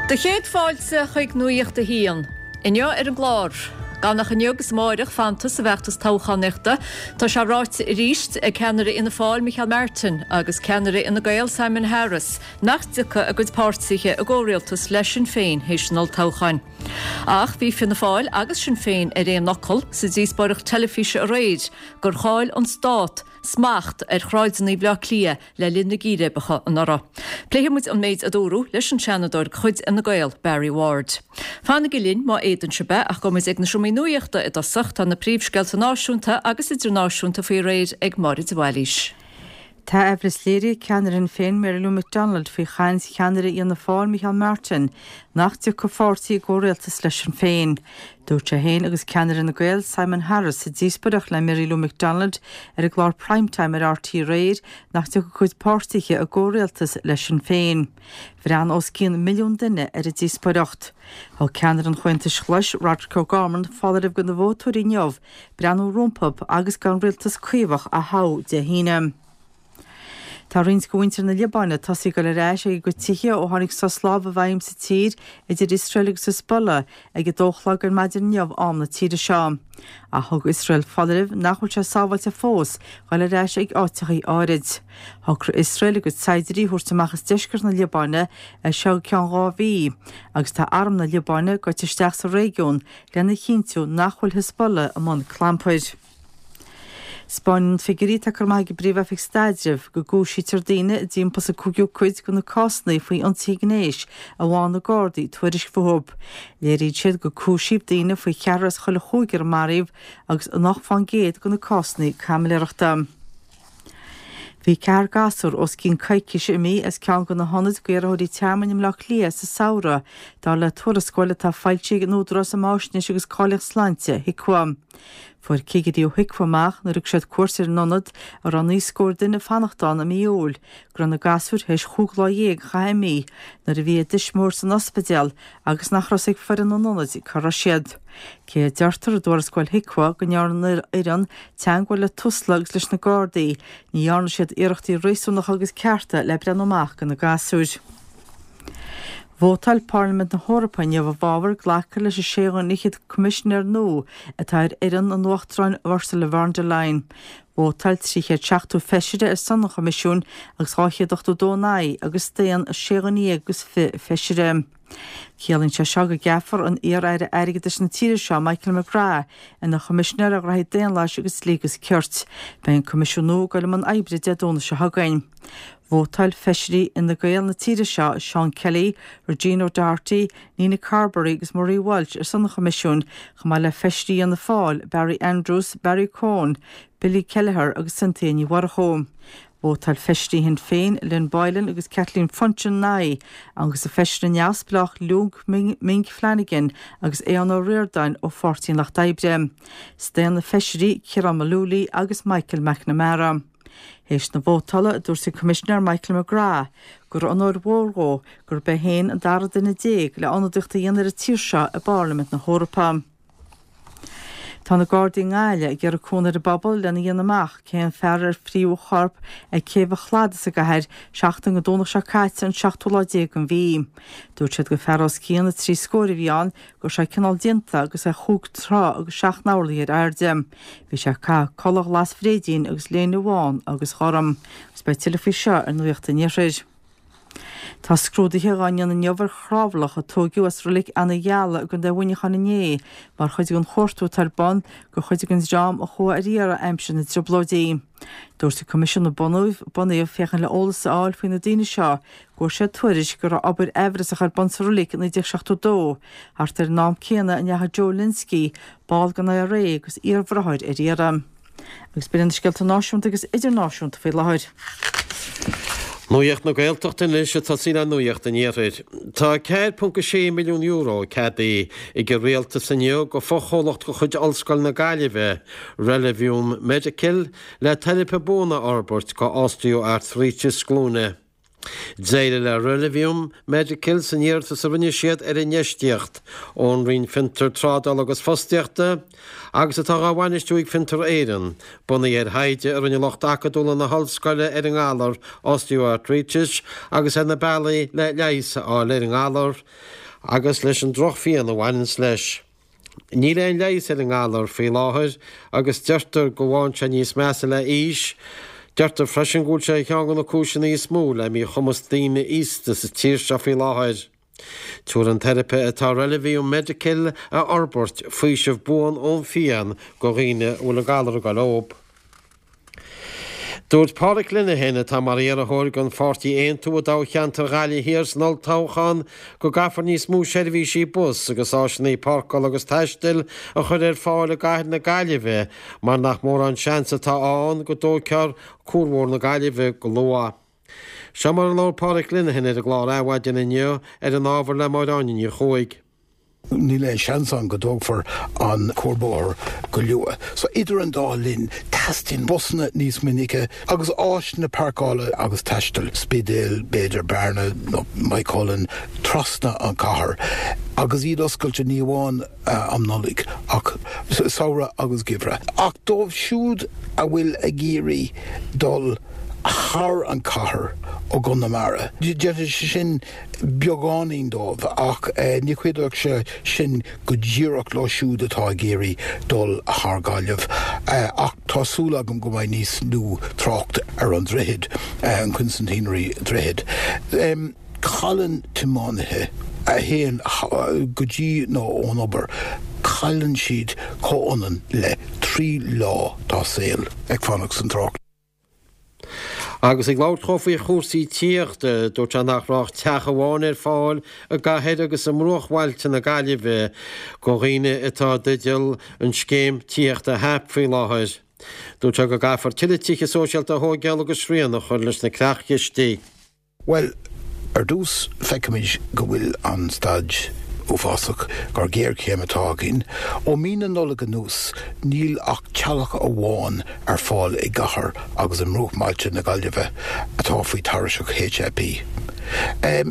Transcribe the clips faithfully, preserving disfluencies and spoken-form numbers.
Do chéad fáilte chuig Nuacht a hAon. Inniu ar an gclár. Gan ach inniu agus amárach fanta sa bhfeachtas toghchánaíochta, tá sé ráite arís ag ceannaire Fhianna Fáil Micheál Martin agus ceannaire Fhine Gael Simon Harris nach dtiocfaidh a gcuid páirtithe i gcomhrialtas le Sinn Féin théis an olltoghcháin. Ach bhí Fianna Fáil agus Sinn Féin ar aon fhocal sa díospóireacht teilifíse aréir gur chaill an stát smacht ar shráideanna Bhaile Átha Cliath le linn na gcíréibeacha anuraidh. Pléifidh muid an méid a dúradh leis an Seanadóir de chuid Fhine Gael, Barry Ward. Fanaigí linn má fhéadann sibh é ach gabhfaidh muid ag na seomraí nuachta i dtosach tá na príomhscéalta náisiúnta agus idirnáisiúnta faoi réir ag Máire de Bhailís. Tá aimhleas léirithe ag ceannaire Shinn Féin Mary Lou McDonald faoi chaint cheannaire Fhianna Fáil Micheál Martin nach dtiocfaidh a pháirtí i gcomhrialtas le Sinn Féin. Dúirt sé féin agus ceannaire Fhine Gael Simon Harris sa díospóireacht le Mary Lou McDonald ar an gclár Primetime ar RTÉ aréir nach dtiocfaidh a cuid páirtithe i gcomhrialtas le Sinn Féin. Bhreathnaigh os cionn milliún duine ar an díospóireacht. Thug ceannaire an Chomhaontais Ghlais Roderic O'Gorman foláireamh do na vótóirí inniu breathnú rompu agus gan rialtas caomhach a thoghadh Dé hAoine. Tá roinnt de mhuintir na Liobáine tosaithe ag dul ar ais ag a gcuid tithe ó tháinig sos láimhe i bhfeidhm sa tír idir Iosrael agus Hezbollah ag a dó a chlog ar maidin inniu am na tíre seo. Ach thug Iosrael foláireamh nach bhfuil sé sábháilte fós dul ar ais ag áiteachaí áirid. Shocraigh Iosrael a gcuid saighdiúirí a thabhairt amach as deisceart na Liobáine as seo go ceann dhá mhí, agus tá arm na Liobáine gaibhte isteach sa réigiún lena chinntiú nach bhfuil Hezbollah i mbun clampair. 'Spáineann figiúirí atá curtha amach ag an bPríomh-Oifig Staidrimh go gcúisítear daoine i dtimpeall is an cúigiú cuid de na cásanna faoi ionsaithe gnéis a bhfaigheann na Gardaí tuairisc fúthu. Léiríonn siad gur cúisíodh daoine faoi cheathrar as chuile chúigear a maraíodh agus ocht fán gcéad de na cásanna caimiléireachta. Bhí ceathrar gasúr os cionn coicíse imithe as ceann de na hionaid d'iarrthóirí tearmainn i mBleá Cliath sa samhradh, dar le tuarascáil atá foilsithe ag an Údarás um Fháisnéis agus Cáilíocht Sláinte, HIQA. Fuair cigirí ó HIQA amach nuair a thug siad cuairt ar an ionad a raibh naoi scór duine ag fanacht ann i mí Iúil go raibh na gasúir théis chúig lá dhéag a chaitheamh imithe nuair a bhí a dtuismitheoir san ospidéal agus nach raibh a fhios ag foireann an ionaid cá raibh siad. Cé a deirtear i dtuarascáil HIQA go ndearna an fhoireann teagmháil le Tusla agus leis na Gardaí, ní dhearna siad iarrachtaí réasúnacha agus cearta le breathnú amach do na gasúir. Vótáil Parlaimint na hEorpa inniu i bhfabhar glacadh leis an sé dhuine fhichead coimisinéir nua atá ar fhoireann an Uachtaráin Ursula von der Leyen. Vótáil trí chéad seachtó feisire ar son an Choimisiúin agus dhá chéad ochtó dó in aghaidh agus staon sé dhuine dhéag agus fiche feisire. Ciallaíonn sé seo go gceapfar an iar-aire airgeadais na tíre seo, Michael McGrath, ina Choimisinéir ar Ghraithí Daonlathais agus Dlí agus Cirt. Beidh an Coimisiún nua ag dul i mbun oibre Dé Domhnaigh seo chugainn. Vótáil feisirí Fhine Gael na tíre seo, Seán Kelly, Regina O'Doherty, Nina Carberry agus Marie Walsh ar son an Choimisiúin, chomh maith le feisirí Fhianna Fáil, Barry Andrews, Barry Cowen, Billy Kelleher agus Cynthia Ní Mhurchú. Vótáil feisirí Shinn Féin, Lynn Boylan agus Kathleen Funchion ina aghaidh, agus an feisire neamhspleách Luke Ming Flanagan agus Aodhán Ó Ríordáin ó Pháirtí an Lucht Oibre. Staon na feisirí Ciarán Mullooly agus Michael McNamara. Théis na vótála, dúirt an Coimisinéir Michael McGrath gur onóir mhór dhó gurb é féin an dara duine déag le ionadaíocht a dhéanamh ar an tír seo i bParlaimint na hEorpa. Tá na Gardaí i nGaillimh ag iarraidh cúnamh ar an bpobal lena dhéanamh amach cé an fear ar frítheadh a chorp ag céibh an Chladaigh sa gcathair seachtain go Domhnach seo caite an seachtú lá déag den mhí. Dúirt siad gur fear os cionn na trí scór a bhí ann, go raibh sé cineál déanta agus é chúig troigh agus seacht n-orlaí ar airde. Bhí sé ag caitheamh culaith ghlas bhréidín agus léine bhán agus ghorm. Agus beidh tuilleadh faoi seo ar Nuacht an Iarthair. Tá scrúduithe á ndéanamh inniu ar chnámharlach a tóigeadh as reilig Eanach Gheala i gContae Mhuineacháin inné mar chuid den chuartú atá ar bun do chuid den dream a chuaigh ar iarraidh aimsir na dTrioblóidí. Dúirt an Coimisiún a bunaíodh féachaint le eolas a fháil faoi na daoine seo go bhfuair siad tuairisc go raibh obair aimhreasach ar bun sa reilig i naoi déag seachtó dó, thart ar an am céanna a ndeachaigh Joe Lynskey, ball den IRA agus iarbhráthair ar iarraidh. Agus b'in iad na scéalta náisiúnta agus idirnáisiúnta faoi láthair. Nuacht na Gaeltachta anois ag tosaí le Nuacht an Iarthair. Tá a ceathair ponc a sé milliún euro ceadaithe ag an Rialtas inniu go fochomhlacht de chuid Ollscoil na Gaillimhe, Relevium Medical, le teiripe buan a fhorbairt go osteo-artairíteas glúine. D'éirigh le Relevium Medical san iarratas a rinne siad ar infheistíocht ón Roinn Fiontar, Trádála agus Fostaíochta agus atá á bhainistiú ag Fiontar Éireann, bunaithe ar thaighde a rinne lucht acadúla na hollscoile ar an ngalar osteoartairítis agus ar na bealaí le leigheas a fháil ar an ngalar agus leis an drochphian a bhaineanns leis. Níl aon leigheas ar an ngalar faoi láthair agus deirtear go bhfaigheann sé níos measa le haois. Deirtear freisin go bhfuil sé ar cheann de na cúiseanna is mó le míchumas daoine aosta sa tír seo faoi láthair. Tabharfaidh an teiripe atá Relevium Medical a fhorbairt faoiseamh buan ón phian go dhaoine a bhfuil an galar ag goil leob. Dúirt Pádraic Linehan, atá mar iarrthóir don pháirtí Aontú i dtoghcheantar Ghaillimh Thiar san olltoghchán, go gcaithfear níos mó seirbhísí bus agus áiseanna páirceála agus taistil a chur ar fáil i gcathair na Gaillimhe mar nach mórán seans atá ann go dtógfar Cuarbhóthar na Gaillimhe go luath. Seo mar a labhair Pádraic Linehan ar an gclár Adhmhaidin inniu ar an ábhar le Máire Áine Ní Chuaig. Níl aon seans ann go dtógfar an cuarbhóthar go luath. So idir an dá linn, teastaíonn busanna níos minice agus áiseanna páirceála agus taistil, Spidéal, b'fhéidir Bearna nó Maigh Cuilinn, trasna an chathair agus iad oscailte ní amháin um Nollaig ach samhradh agus geimhreadh. Ach dóibh siúd a bhfuil ag iarraidh dul thar an chathair ó gConamara, déanfaidh sé sin beagáinín dóibh ach ní chuideoidh sé sin go díreach leo siúd atá ag iarraidh dul thar Gaillimh. Ach tá súil agam go mbeidh níos lú trácht ar an droichead, an Quincentenary droichead. Cailleann tiománaithe a théann go dtí nó ón obair, cailleann siad comhionann le trí lá dá saol ag fanacht san trácht. Agus ag labhairt dhó faoi chúrsaí tithíochta, dúirt sé nach raibh ach teach amháin ar fáil i gcathair agus i mbruachbhailte na Gaillimhe do dhaoine atá i dteideal an scéim tithíochta HAP faoi láthair. Dúirt sé go gcaithfear tuilleadh tithe sóisialta a thógáil agus srian a chur leis na creachchistí. Bhuel, ar dtús feicimid go bhfuil an staid uafásach, gur géarchéim atá againn. Ó mí na Nollag anuas, níl ach teallach amháin ar fáil i gcathair agus i mbruachbhailte na Gaillimhe atá faoi tairseach HAP.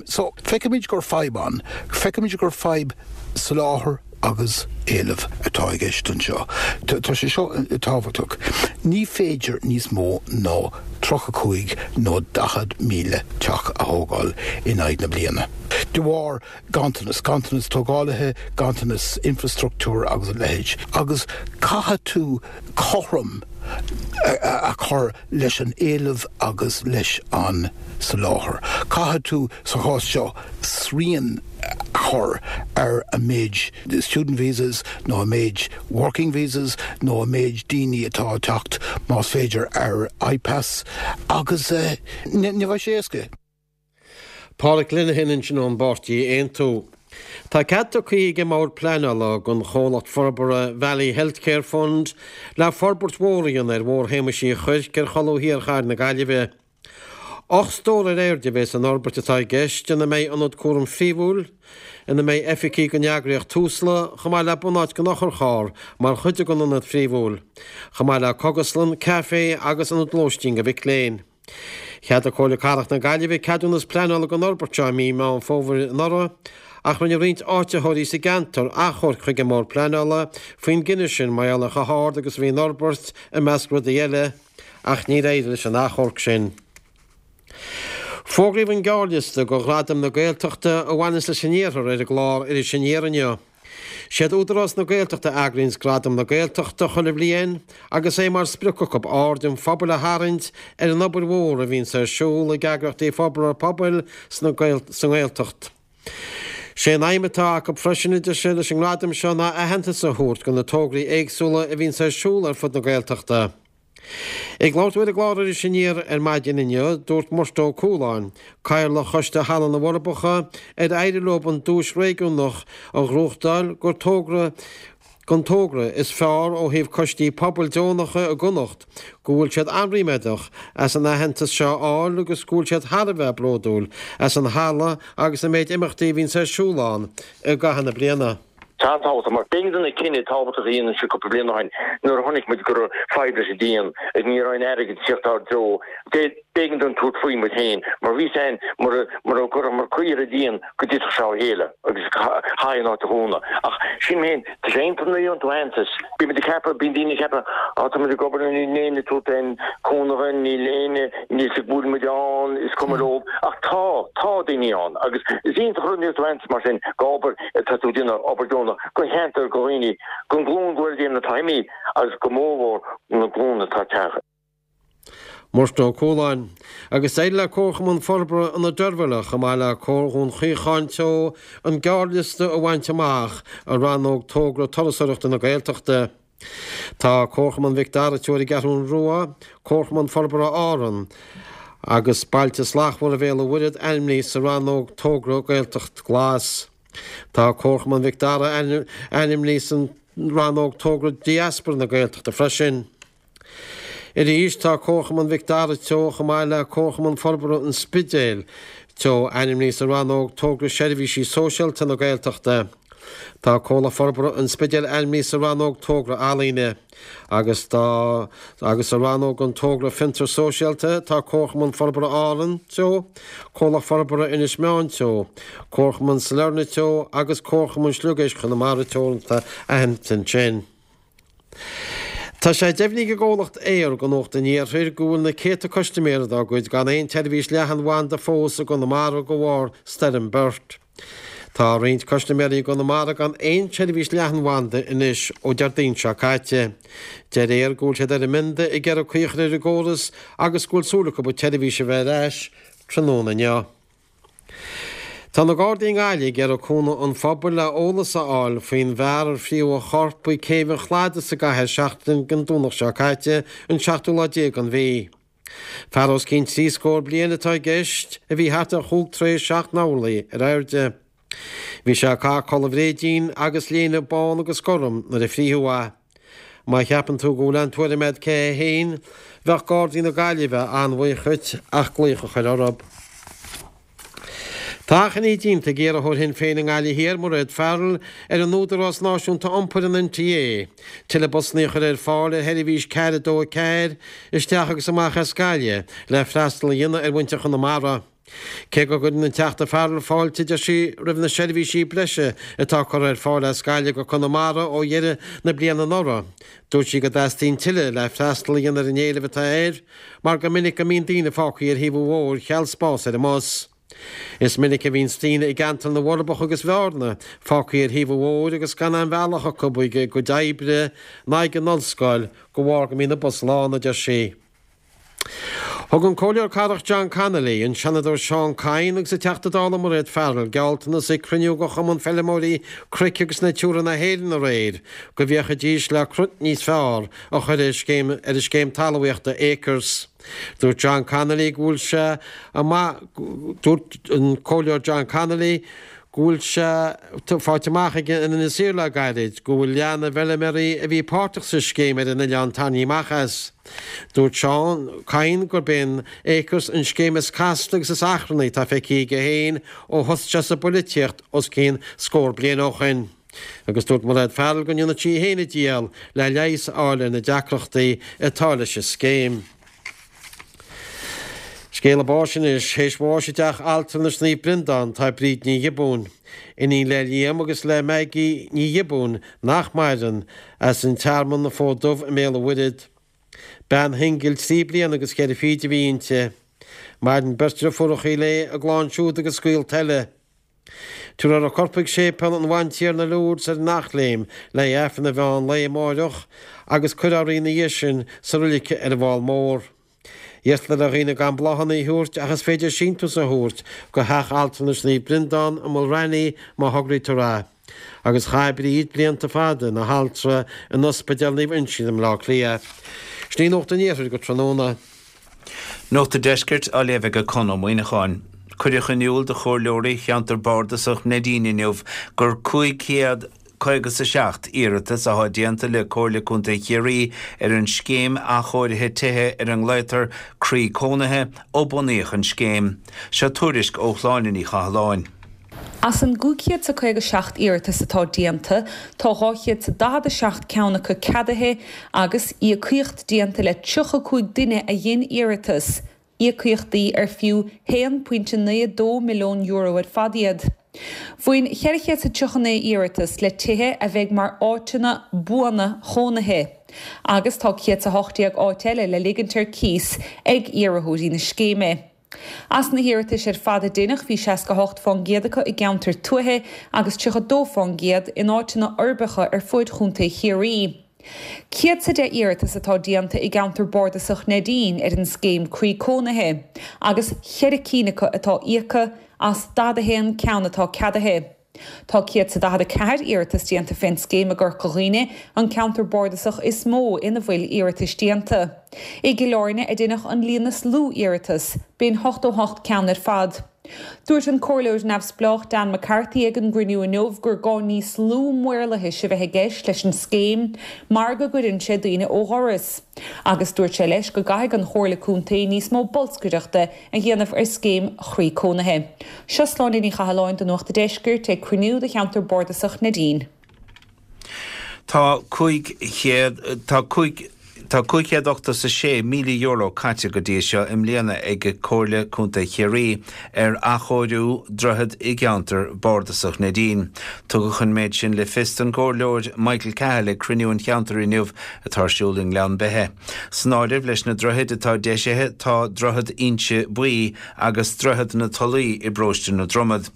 So, feicimid gur fadhb ann. Feicimid gur fadhb soláthair agus éileamh atá i gceist anseo. Tá sé seo tábhachtach. Ní féidir níos mó ná tríocha cúig nó daichead míle teach a thógáil in aghaidh na bliana. De bharr ganntanas, ganntanas tógálaithe, ganntanas infrastruchtúir agus a leithéid. Agus caithfidh tú cothrom a chur leis an éileamh agus leis an soláthar. Caithfidh tú, sa chás seo, srian a chur ar an méid student visas nó an méid working visas nó an méid daoine atá ag teacht más féidir ar I P A S agus ní bheidh sé éasca. Pádraic Linehan ansin ón bpáirtí Aontú. Tá cead tugtha ag an mBord Pleanála don chomhlacht forbartha Valley Healthcare Fund le forbairt mhór a dhéanamh ar Bhóthar Shéamais Uí Chuirc ar cholbha thiar chathair na Gaillimhe. Ocht stór ar airde a bheidh san fhorbairt atá i gceist ina mbeidh ionad cúraim phríomhúil, ina mbeidh oifigí don eagraíocht Tusla, chomh maith le bunáit don otharcharr mar chuid den ionad phríomhúil, chomh maith le cógaslann, caife agus ionad lóistín do mhic léinn. Cheadaigh Comhairle Cathrach na Gaillimhe ceadúnas pleanála don fhorbairt seo i mí Meán Fómhair anuraidh, ach rinne roinnt áititheoirí sa gceantar achomharc chuig an mBord Pleanála faoin gcinneadh sin mar gheall ar chomh hard agus a bhí an fhorbairt i measc rudaí eile, ach níor éirigh leis an achomharc sin. Fógraíodh an gearrliosta do Ghradaim na Gaeltachta a bhaineas leis an Iarthar ar an gclár Iris Aniar inniu. Siad Údarás na Gaeltachta a eagraíonns Gradaim na Gaeltachta chuile bhliain agus é mar sprioc acu aird an phobail a tharraingt ar an obair mhór a bhíonns ar siúl ag eagraíochtaí forbartha pobail sa nGaeltacht. Sé an aidhm atá acu freisin a deir siad leis an ngradam seo ná aitheantas a thabhairt do na tograí éagsúla a bhíonns ar siúl ar fud na Gaeltachta. Ag labhairt dó ar an gclár Iris Aniar ar maidin inniu, dúirt Murtagh Ó Cualáin, Cathaoirleach Choiste Halla na bhForbacha, ar éirigh leo an duais réigiúnach a ghnóthachtáil gur togra don togra is fearr ó thaobh coistí pobail deonacha i gConnacht, go bhfuil siad an-ríméadach as an aitheantas seo a fháil agus go bhfuil siad thar a bheith bródúil as an halla agus an méid imeachtaí a bhíonns ar siúl ann i gcaitheamh na bliana. Tá an-tábhachtach mar b'éigean dúinn cinneadh tábhachtach a dhéanamh anseo cúpla bliain ó shin nuair a chonaic muid go raibh fadhb leis an díon agus ní raibh aon airgead ag teacht ár dtreo. B'éigean dúinn tabhairt faoi muid féin mar bhí 'fhios a'inn mura mura gcuirfeamar caoi ar an díon go dtitfeadh sé ó chéile agus chaithfí an áit a dhúnadh. Ach sílim féin, tá sé iontach nuair a gheobhann tú aitheantas. Bíonn muid ag ceapadh, bíonn daoine ag ceapadh, á tá muid ag obair níl éinne ag tabhairt aon cúnamh dúinn, níl éinne, níl 'fhios ag go bhfuil muid ann, is cuma leo. Ach tá, tá daoine ann agus is iontach an rud nuair a gheobhann tú aitheantas mar sin go obair atá tú ag déanamh, obair deonach, go cheantar, go dhaoine, gon ghlúin go bhfuil déanamh atá imithe agus go mórmhór na glúin atá ag teacht. Murchadh Ó Cualáin, Agus d'éirigh le Comharchumann Forbartha Ionad Deirbhile, chomh maith le Comhar Dhún Chaocháin Teo, an gearrliosta a bhaint amach i rannóg Togra Turasóireachta na Gaeltachta. Tá Comharchumann Mhic Dara Teo ar an gCeathrú Rua, Comharchumann Forbartha Árann agus Bailte Slachtmhara Bhéal an Mhuirthead ainmnithe sa rannóg Togra Gaeltacht Glas. Tá Comharchumann Mhic Dara ainmnithe san rannóg Togra Diaspora na Gaeltachta freisin. Arís, tá Comharchumann Mhic Dara Teo chomh maith le Comharchumann Forbartha an Spidéil Teo ainmnithe sa rannóg Togra Seirbhísí Sóisialta na Gaeltachta. Tá Comhlacht Forbartha an Spidéil ainmnithe sa rannóg Togra Ealaíne agus tá agus sa rannóg an Togra Fiontar Sóisialta tá Comharchumann Forbartha Árann Teo, Comhlacht Forbartha Inis Meáin Teo, Comharchumann Sailearna Teo agus Comharchumann Sliogéisc Chonamara Teoranta aitheanta ansin. Tá sé deimhnithe ag an gcomhlacht Eir do Nuacht an Iarthair go bhfuil na céadta custaiméir dá gcuid gan aon tseirbhís leathanbhanda fós i gConamara de bharr Stoirm Bert. Tá roinnt custaiméirí i gConamara gan aon tseirbhís leathanbhanda anois ó Déardaoin seo caite. Deir Eir go bhfuil siad ar a mbionda ag iarraidh caoi a chur ar an gcóras agus go bhfuil súil acu an tseirbhís a bheith ar ais tráthnóna inniu. Tá na Gardaí i nGaillimh ag iarraidh cúnamh an phobail le eolas a fháil faoin bhfear ar frítheadh a chorp ag Céibh an Chladaigh sa gcathair seachtain den Domhnach seo caite, an seachtú lá déag den mhí. Fear os cionn trí scór bliain atá i gceist, a bhí thart ar chúig troigh seacht n-orlaí ar airde. Bhí sé ag caitheamh culaith bhréidín agus léine bán agus gorm nuair a frítheadh é. Má cheapann tú go bhfuil aon tuairim agat cé hé féin, bheadh Gardaí na Gaillimhe an-bhuíoch dhuit ach glaoch a chur orthu. Tá achainí déanta ag iarrthóir Shinn Féin i nGaillimh Thiar, Mairéad Farrell, ar an Údarás Náisiúnta Iompair, an NTA, tuilleadh busanna a chur ar fáil ar sheirbhís ceathair a dó a ceathair isteach agus amach as Gaillimh le freastal a dhéanamh ar mhuintir Chonamara. Cé go gcuireann an Teachta Farrell fáilte, deir sí, roimh na seirbhísí breise atá curtha ar fáil as Gaillimh go Conamara ó dheireadh na bliana anuraidh, dúirt sí go dteastaíonn tuilleadh le freastal a dhéanamh ar an éileamh atá air mar gur minic go mbíonn daoine fágtha ar thaobh an bhóthair cheal spás ar an mbus. Is minic a bhíonns daoine i gceantar na bhForbacha agus Bhearna fágtha ar thaobh an bhóthair agus gan aon bhealach acu chuig a gcuid oibre ná ag an ollscoil de bharr go mbíonn an bus lán, a deir sí. Thug an Comhairleoir Cathrach John Connolly, an Seanadóir Seán Kyne agus an Teachta Dála Mairéad Farrell gealltanas ag cruinniú de Chumann Feilméaraí Cnoic agus Natura na hÉireann aréir go bhféachfaidís le cruth níos fearr a chur ar an scéim talmhaíochta Acres. Dúirt John Connolly go bhfuil sé amach Dúirt an Comhairleoir John Connolly go bhfuil sé faighte amach aige in Inis Oírr le gairid go bhfuil leath na bhfeilméaraí a bhí páirteach sa scéim ar an oileán tarraingthe amach as. Dúirt Seán Kyne gurb é an Acres an scéim is casta agus is achrannaí atá feicthe aige féin ó thosaigh sé sa bpolaitíocht os cionn scór bliain ó shin. Agus dúirt Mairéad Farrell go ndéanfaidh sí féin a dícheall le leigheas a fháil ar na deacrachtaí atá leis an scéim. Scéala báis anois, théis bháis i dteach altranais Naomh Breandán tá Bríd Ní Ghiobúin, iníon le Liam agus le Maggie Ní Ghiobúin, nach maireann, as an Tearmann, An Fód Dubh i mBéal an Mhuirthead. Bean shingil trí bliana agus ceithre fichid a bhí inti. Maireann beirt deirfiúracha léi, a gclann siúd agus gaolta eile. Tabharfar a corp chuig Séipéal an Bhantiarna Lourdes ar an Eachléim le hAifreann an mheán lae amáireach agus cuirfear í ina dhiaidh sin sa roilig ar an bhFál Mór. Iarrtar ar dhaoine gan bláthanna a thabhairt ach is féidir síntiús a thabhairt go Theach Altranais Naomh Breandán i Mulranny má thograítear é. Agus chaith Bríd blianta fada ina haltra in Ospidéal Naomh Uinseann i mBleá Cliath. Sin í Nuacht an Iarthair go tráthnóna. Nuacht an Deiscirt á léamh ag Conn Ó Muíneacháin. Cuireadh in iúl do chomhairleoirí cheantar bardasach Neidín inniu gur cúig chéad caoga is a seacht iarratas atá déanta le Comhairle Contae Chiarraí ar an scéim athchóirithe tithe ar a nglaotar Croí Cónaithe ó bunaíodh an scéim. Seo tuairisc ó Shláine Ní Chathalláin. As an gcúig chéad 's a caoga seacht iarratas atá déanta, tá dhá chéad 's a daichead a seacht ceann acu ceadaithe agus íocaíocht déanta le tríocha cúig duine a dhein iarratas, íocaíochtaí ar fiú haon pointe naoi dó milliún euro ar fad iad. Bhain ceithre chéad 's a tríocha naoi iarratas le tithe a bheidh mar áiteanna buana chónaithe, agus tá céad 's a hocht déag áit eile le ligint ar cíos ag iarrthóirí na scéime. As na hiarratais ar fad a deineadh, bhí seasca hocht fán gcéad acu i gceantair tuaithe agus tríocha dó fán gcéad in áiteanna uirbeacha ar fuaid Chontae Chiarraí. Céad 's a deich iarratas atá déanta i gceantar bardasach Neidín ar an scéim Croí Cónaithe agus cheithre cinn acu atá íoctha as daichead a haon ceann atá ceadaithe. Tá céad 's a daichead a ceathair iarratas déanta fén scéim i gCorca Dhuibhne, an ceantar bardasach is mó ina bhfuil iarratais déanta. I gCill Airne a deineadh an líon is lú iarratas, b'in ochtó hocht ceann ar fad. Dúirt an comhairleoir neamhspleách Dan McCarthy ag an gcruinniú inniu gur gá níos lú maorlathais a bheith i gceist leis an scéim mar go gcuireann sé daoine ó dhoras. Agus dúirt sé leis go gcaithfidh an Chomhairle Contae níos mó bolscaireachta a dhéanamh ar scéim Chroí Cónaithe. Seo Sláine Ní Chathalláin do Nuacht an Deiscirt ag cruinniú de cheantar bardasach Neidín. Tá cúig chéad, tá cúig, Tá cúig chéad ochtó 's a sé míle euro caite go dtí seo i mbliana ag Comhairle Contae Chiarraí ar athchóiriú droichead i gceantar bardasach Neidín. Tugadh an méid sin le fios don gComhairleoir Michael Cahill ag cruinniú an cheantair inniu atá ar siúl i nGleann Beithe. San áireamh leis na droichid atá deisithe tá Droichead Inse Buí agus Droichead na Tulaí i bParóiste na Dromad.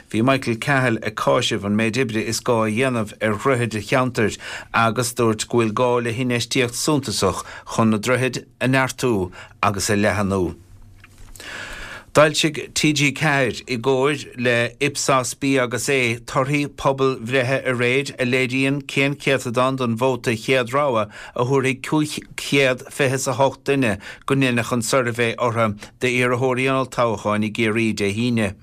Bhí Michael Cahill ag cáiseamh an méid oibre is gá a dhéanamh ar dhroichid an cheantair agus dúirt go bhfuil gá le hinfheistíocht suntasach chun na droichid a neartú agus a leathnú. D'fhoilsigh T G ceathair i gcomhar le Ipsos B agus A torthaí pobalbhreithe aréir a léiríonn cén céatadán den vóta chéad rogha a thabharfaidh cúig chéad fiche is a hocht duine go ndéanfadh an suirbhé orthu d'iarrthóirí an olltoghcháin i gCiarraí Dé hAoine.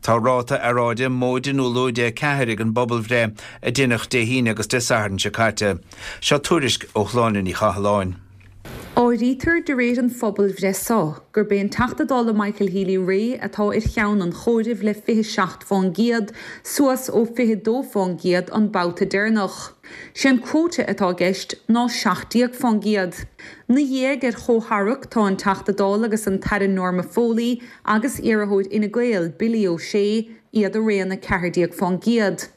Tá ráta earráide móide nó lúide a ceathair ag an bpobalbhreith a deineadh Dé hAoine agus Dé Sathairn seo caite. Seo tuairisc ó Shláine Ní Chathalláin. Áirítear de réir an phobalbhreith seo gurb é an Teachta Dála Michael Healy-Rae atá ar cheann an chomhairimh le fiche seacht fán gcéad, suas ó fiche dó fán gcéad an babhta deireanach. Sé an cuóta atá i gceist ná seacht déag fán gcéad. Na dhiaidh ar chomhtharrac tá an Teachta Dála agus an tAire Norma Foley agus iarrthóir Fhine Gael Billy O'Shea iad araon a ceathair déag fán gcéad.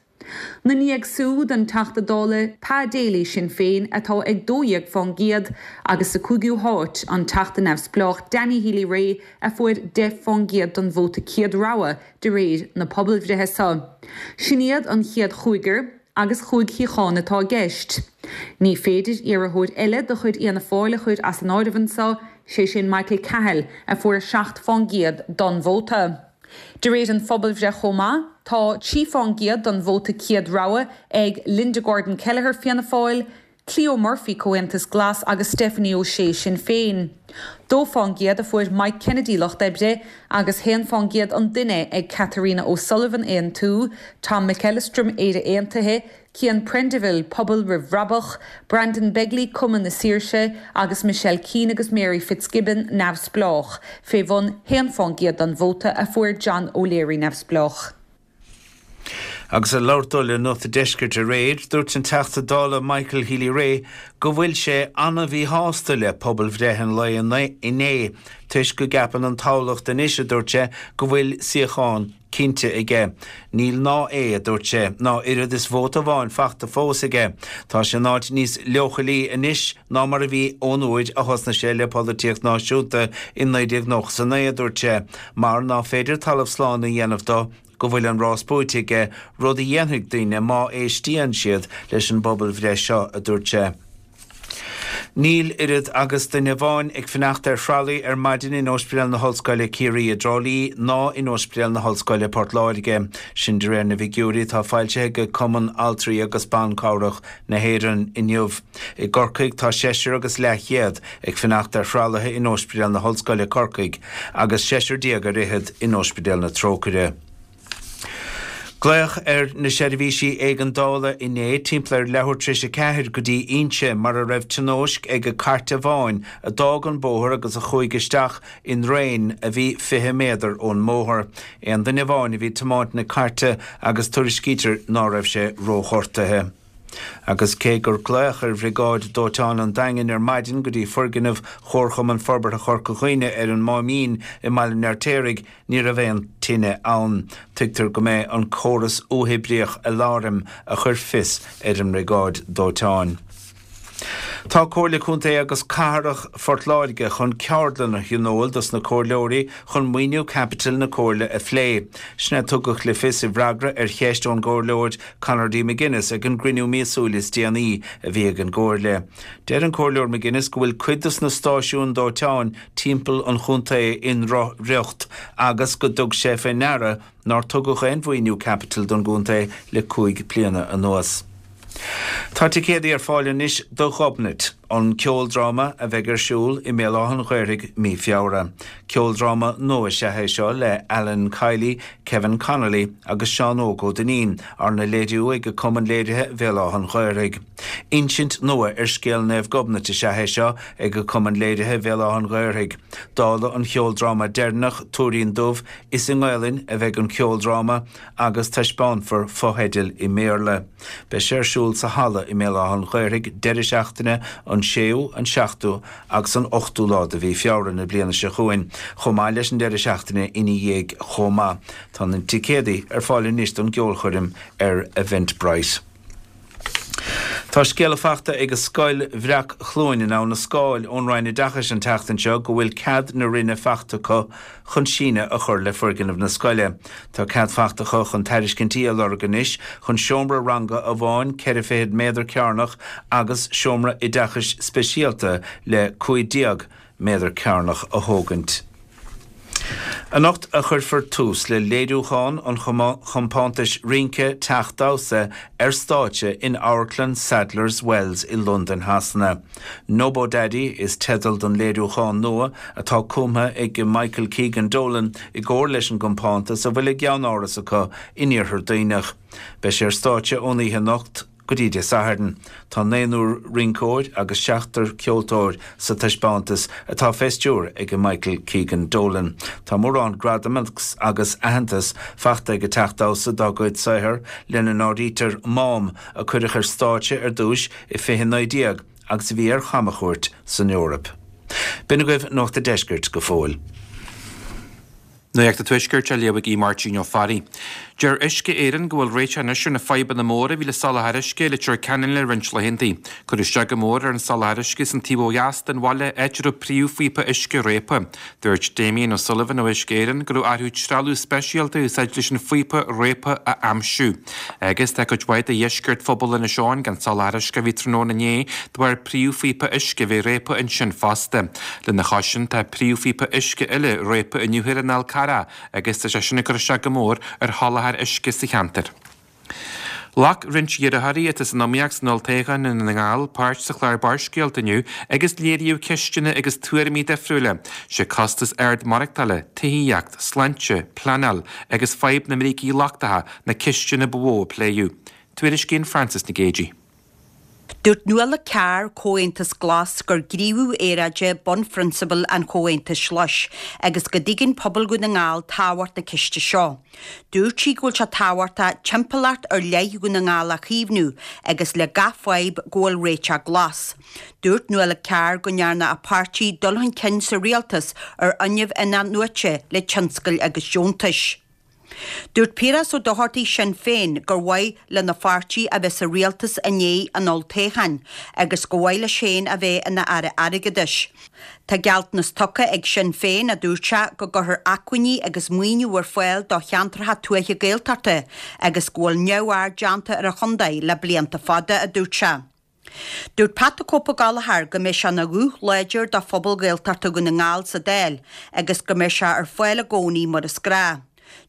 Na ndiaidh siúd an Teachta Dála Pa Daly Sinn Féin atá ag dó dhéag fán gcéad agus sa cúigiú háit an Teachta Neamhspleách Danny Healy-Rae a fuair deich fán gcéad den vóta céad rogha de réir na pobalbhreithe seo. Sin iad an chéad chúigear agus chúig shuíochán atá i gceist. Ní féidir iarrthóir eile de chuid Fhianna Fáil a chur as an áireamh anseo, sé sin Michael Cahill a fuair seacht fán gcéad den vóta. De réir an phobalbhreith chomh maith, tá trí fán gcéad den vóta céad rogha ag Linda Gordon Kelleher Fianna Fáil, Cleo Murphy Comhaontas Glas agus Stephanie O'Shea Sinn Féin. Dó fán gcéad a fuair Mike Kennedy Lucht Oibre agus haon fán gcéad an duine ag Catherina O'Sullivan Aontú, Tom McEllistrim Éire Aontaithe, Cian Prendiville Pobal Roimh Bhrabach, Brandon Begley Cumann na Saoirse agus Michelle Keane agus Mary Fitzgibbon Neamhspleách, fé bhun haon fán gcéad den vóta a fuair John O'Leary Neamhspleách. Agus ag labhairt dó le Nuacht an Deiscirt aréir, dúirt an Teachta Dála Michael Healy-Rae go bhfuil sé an-mhíshásta le pobalbhreith an lae inné, toisc go gceapann an toghlach anois, a dúirt sé, go bhfuil suíochán cinnte aige. Níl ná é, a dúirt sé, ná oiread is vóta amháin fachta fós aige. Tá sé in áit níos leochailí anois ná mar a bhí ón uair a thosnaigh sé le polaitíocht náisiúnta i naoi déag nócha is a naoi, a dúirt sé, mar ná féidir talamh slán a dhéanamh dó go bhfuil an rás buaite aige, rud a dhéanfaidh daoine má éistíonn siad leis an bpobalbhreith seo, a dúirt sé. Níl oiread agus duine amháin ag fanacht ar thralaí ar maidin in Ospidéal na hOllscoile Ciarraí i dTrá Lí ná in Ospidéal na hOllscoile Port Láirge. Sin de réir na bhfigiúirí atá foilsithe ag Cumann Altraí agus Ban Cabhrach na hÉireann inniu. I gCorcaigh tá seisear agus leathchéad ag fanacht ar thralaithe in Ospidéal na hOllscoile Corcaigh agus seisear déag ar fhichead in Ospidéal na Trócaire. Glaodh ar na seirbhísí éigeandála inné timpeall ar leathuair tar éis a ceathair go dtí Inse mar a raibh tionóisc ag cairt amháin a d'fhág an bóthar agus a chuaigh isteach i ndraein a bhí fiche méadar ón mbóthar. Aon duine amháin a bhí ag tiomáint na cairte agus tuairiscítear ná raibh sé róghortaithe. Agus cé gur glaodh ar Bhriogáid Dóiteáin an Daingin ar maidin go dtí foirgneamh Chomharchumann Forbartha Chorca Dhuibhne ar an Máimín i mBaile an Fheirtéaraigh, ní raibh aon tine ann. Tuigtear go mb'é an córas uathoibríoch aláraim a chuir fios ar an mBriogáid Dóiteáin. Tá Comhairle Contae agus Cathrach Phort Láirge chun ceardlann a thionól dos na comhairleoirí chun maoiniú caipitil na Comhairle a phlé. Sin a tugadh le fios i bhfreagra ar cheist ón gComhairleoir Conor D. McGuinness ag an gcruinniú míosúil is déanaí a bhí ag an gComhairle. Deir an Comhairleoir McGuinness go bhfuil cuid dos na stáisiúin dóiteáin timpeall an chontae i ndrochriocht agus go dtug sé fé ndeara nár tugadh aon mhaoiniú caipitil don gcontae le cúig bliana anuas. Tá ticéadaí ar fáil anois do Ghobnait, an ceoldráma a bheidh ar siúl i mBéal Átha an Ghaorthaidh mí Feabhra. Ceoldráma nua is ea é seo le Alan Kiely, Kevin Connolly agus Seán Óg Ó Duinnín, arna léiriú ag Cumann Léirithe Bhéal Átha an Ghaorthaidh. Insint nua ar scéal Naomh Gobnait is ea é seo ag Cumann Léirithe Bhéal Átha an Ghaorthaidh. Dála an cheoldráma deireanach, Tuairín Dubh, is i nGaelainn a bheidh an ceoldráma agus taispeánfar fotheidil i mBéarla. Beidh sé ar siúl sa halla i mBéal Átha an Ghaorthaidh deireadh seachtaine an séú, an seachtú agus an ochtú lá de mhí Feabhra na bliana seo chugainn, chomh maith leis an deireadh seachtaine ina dhiaidh chomh maith. Tá na ticéadaí ar fáil anois don gceolchoirm ar Eventbrite. Tá scéala fachta ag Scoil Bhreac-Chluain in Abha na Scáil ón Roinn Oideachais an tseachtain seo go bhfuil cead na Roinne fachta acu chun síneadh a chur le foirgneamh na scoile. Tá cead fachta acu chun tairiscintí a lorg anois chun seomra ranga amháin ceithre fichead méadar cearnach agus seomra oideachais speisialta le cúig déag méadar cearnach a thógaint. Anocht a chuirfear tús le léiriúchán an chompántais rince Teach Damhsa ar stáitse in Amharclann Sadler's Wells i Londain Shasana. Nobo Daddy is teideal don léiriúchán nua atá cumtha ag Michael Keegan Dolan i gcomhar leis an gcompántas a bhfuil a gceannáras acu in Iarthar Duibhneach. Beidh sé ar stáitse ón oíche anocht go dtí Dé Sathairn. Tá naonúr rinceoir agus seachtar ceoltóir sa taispeántas atá fé stiúir ag Michael Keegan Dolan. Tá mórán gradam agus aitheantas fachta ag an Teach Damhsa dá gcuid saothar lena n-áirítear Mám a cuireadh ar stáitse ar dtús i fiche naoi déag agus a bhí ar chamchuairt san Eoraip. B'in agaibh Nuacht an Deiscirt go fóill. Nuacht an Tuaiscirt á léamh ag Máirtín Ó Fearraigh. Deir Uisce Éireann go bhfuil réiteach anois ar na fadhbanna móra a bhí le soláthar uisce i Leitir Ceanainn le roinnt laethanta. Cuireadh isteach go mór ar an soláthar uisce san taobh ó dheas den bhaile áit a raibh príomhphíopa uisce réabtha. Dúirt Damien O'Sullivan ó Uisce Éireann go raibh orthu trealamh speisialta a úsáid leis an phíopa réabtha a aimsiú. Agus tá cuid mhaith de dheisceart phobal Inis Eoghain gan soláthar uisce a bhí tráthnóna inné de bharr príomhphíopa uisce a bheith réabtha ansin fosta. Lena chois sin tá príomhphíopa uisce eile réabtha inniu ar an Fhál Carrach agus tá sé sin ag cur isteach go mór ar sholáthar uisce sa cheantar. Ghlac roinnt iarrthóirí atá san iomaíocht san olltoghchán i nDún na nGall páirt sa chlár Barrscéalta inniu agus léiríodh ceisteanna agus tuairimí difriúla. Sé costas ard maireachtála, tithíocht, sláinte, pleanáil agus fadhb na mbrící lochtacha na ceisteanna ba mhó a pléadh. Tuairiscíonn Frances Nic Géadaigh. Dúirt Nuala Carr, Comhaontas Glas, gur gníomhú aeráide bunphrionsabal an Chomhaontais Ghlais agus go dtuigeann pobal Dhún na nGall tábhacht na ceiste seo. Dúirt sí go bhfuil sé tábhachtach timpeallacht ar leith Dhún na nGall a chaomhnú agus le gach fadhb go bhfuil réiteach glas. Dúirt Nuala Carr go ndearna a páirtí dul chun cinn sa rialtas ar fhuinneamh in-athnuaite le tionscail agus deontais. Dúirt Piaras Ó Dochartaigh Sinn Féin gur mhaith lena pháirtí a bheith sa rialtas i ndiaidh an olltoghcháin agus go mhaith leis féin a bheith ina aire airgeadais. Tá gealltanas tugtha ag Sinn Féin, a dúirt sé, go gcuirfear acmhainní agus maoiniú ar fáil do cheantracha tuaithe Gaeltachta agus go bhfuil neamhaird déanta ar an chontae le blianta fada, a dúirt sé. Dúirt Pat the Cope Ó Gallchóir go mbeidh sé ina ghuth láidir do phobal Gaeltachta Dhún na nGall sa Dáil agus go mbeidh sé ar fáil i gcónaí mar is gnách.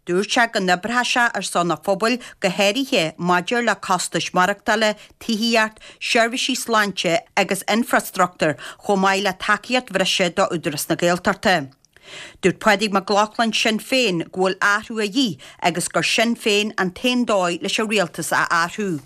Dúirt sé go n-oibreoidh sé ar son an phobail go háirithe maidir le costais maireachtála, tithíocht, seirbhísí sláinte agus infreastruchtúr chomh maith le tacaíocht bhreise do Údarás na Gaeltachta. Dúirt Pádraig Mac Lochlainn, Sinn Féin, go bhfuil athrú a dhíth agus gur Sinn Féin an t-aon dóigh leis an rialtas a athrú.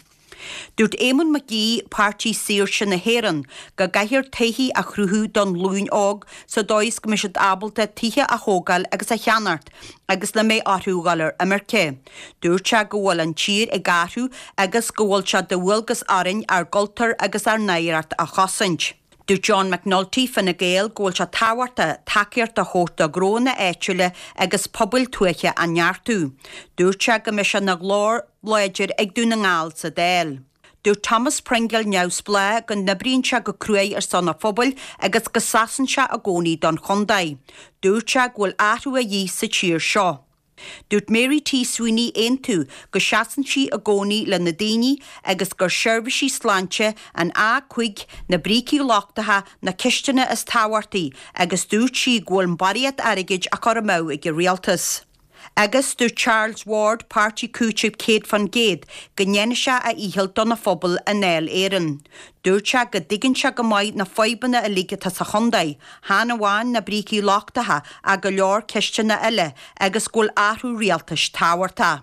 Dúirt Éamonn Mac Aoidh, Páirtí Saoirse na hÉireann, go gcaithfear tithí a chruthú don ghlúin óg sa dóigh is go mbeidh siad ábalta tithe a thógáil agus a cheannacht agus nach mbeidh orthu dhul ar imirce. Dúirt sé go bhfuil an tír ag athrú agus go bhfuil sé de dhualgas orainn ár gcultúr agus ár n-oidhreacht a chosaint. Dúirt John McNulty, Fine Gael, go bhfuil sé tábhachtach tacaíocht a thabhairt do ghnónna áitiúla agus pobail tuaithe a neartú. Dúirt sé go mbeidh sé ina ghlór láidir ag Dún na nGall sa Dáil. Dúirt Thomas Pringle, Neamhspleách, go n-oibríonn sé go cruaidh ar son a phobail agus go seasann sé i gcónaí don chontae. Dúirt sé go bhfuil athrú a dhíth sa tír seo. Dúirt Mary T Sweeney, Aontú, go seasann sí i gcónaí le na daoine agus gur seirbhísí sláinte, an A cúig, na brící lochtacha na ceisteanna is tábhachtaí agus dúirt sí go bhfuil barraíocht airgid á chur amú ag an rialtas. Agus dúirt Charles Ward, Páirtí Cúitimh céad fán gcéad, go ndéanfaidh sé a dhícheall dona phobal i nDáil Éireann. Dúirt sé go dtuigeann sé go maith na fadhbanna uilig atá sa chontae, chan amháin na brící lochtacha ach go leor ceisteanna eile agus go bhfuil athrú rialtais tábhachtach.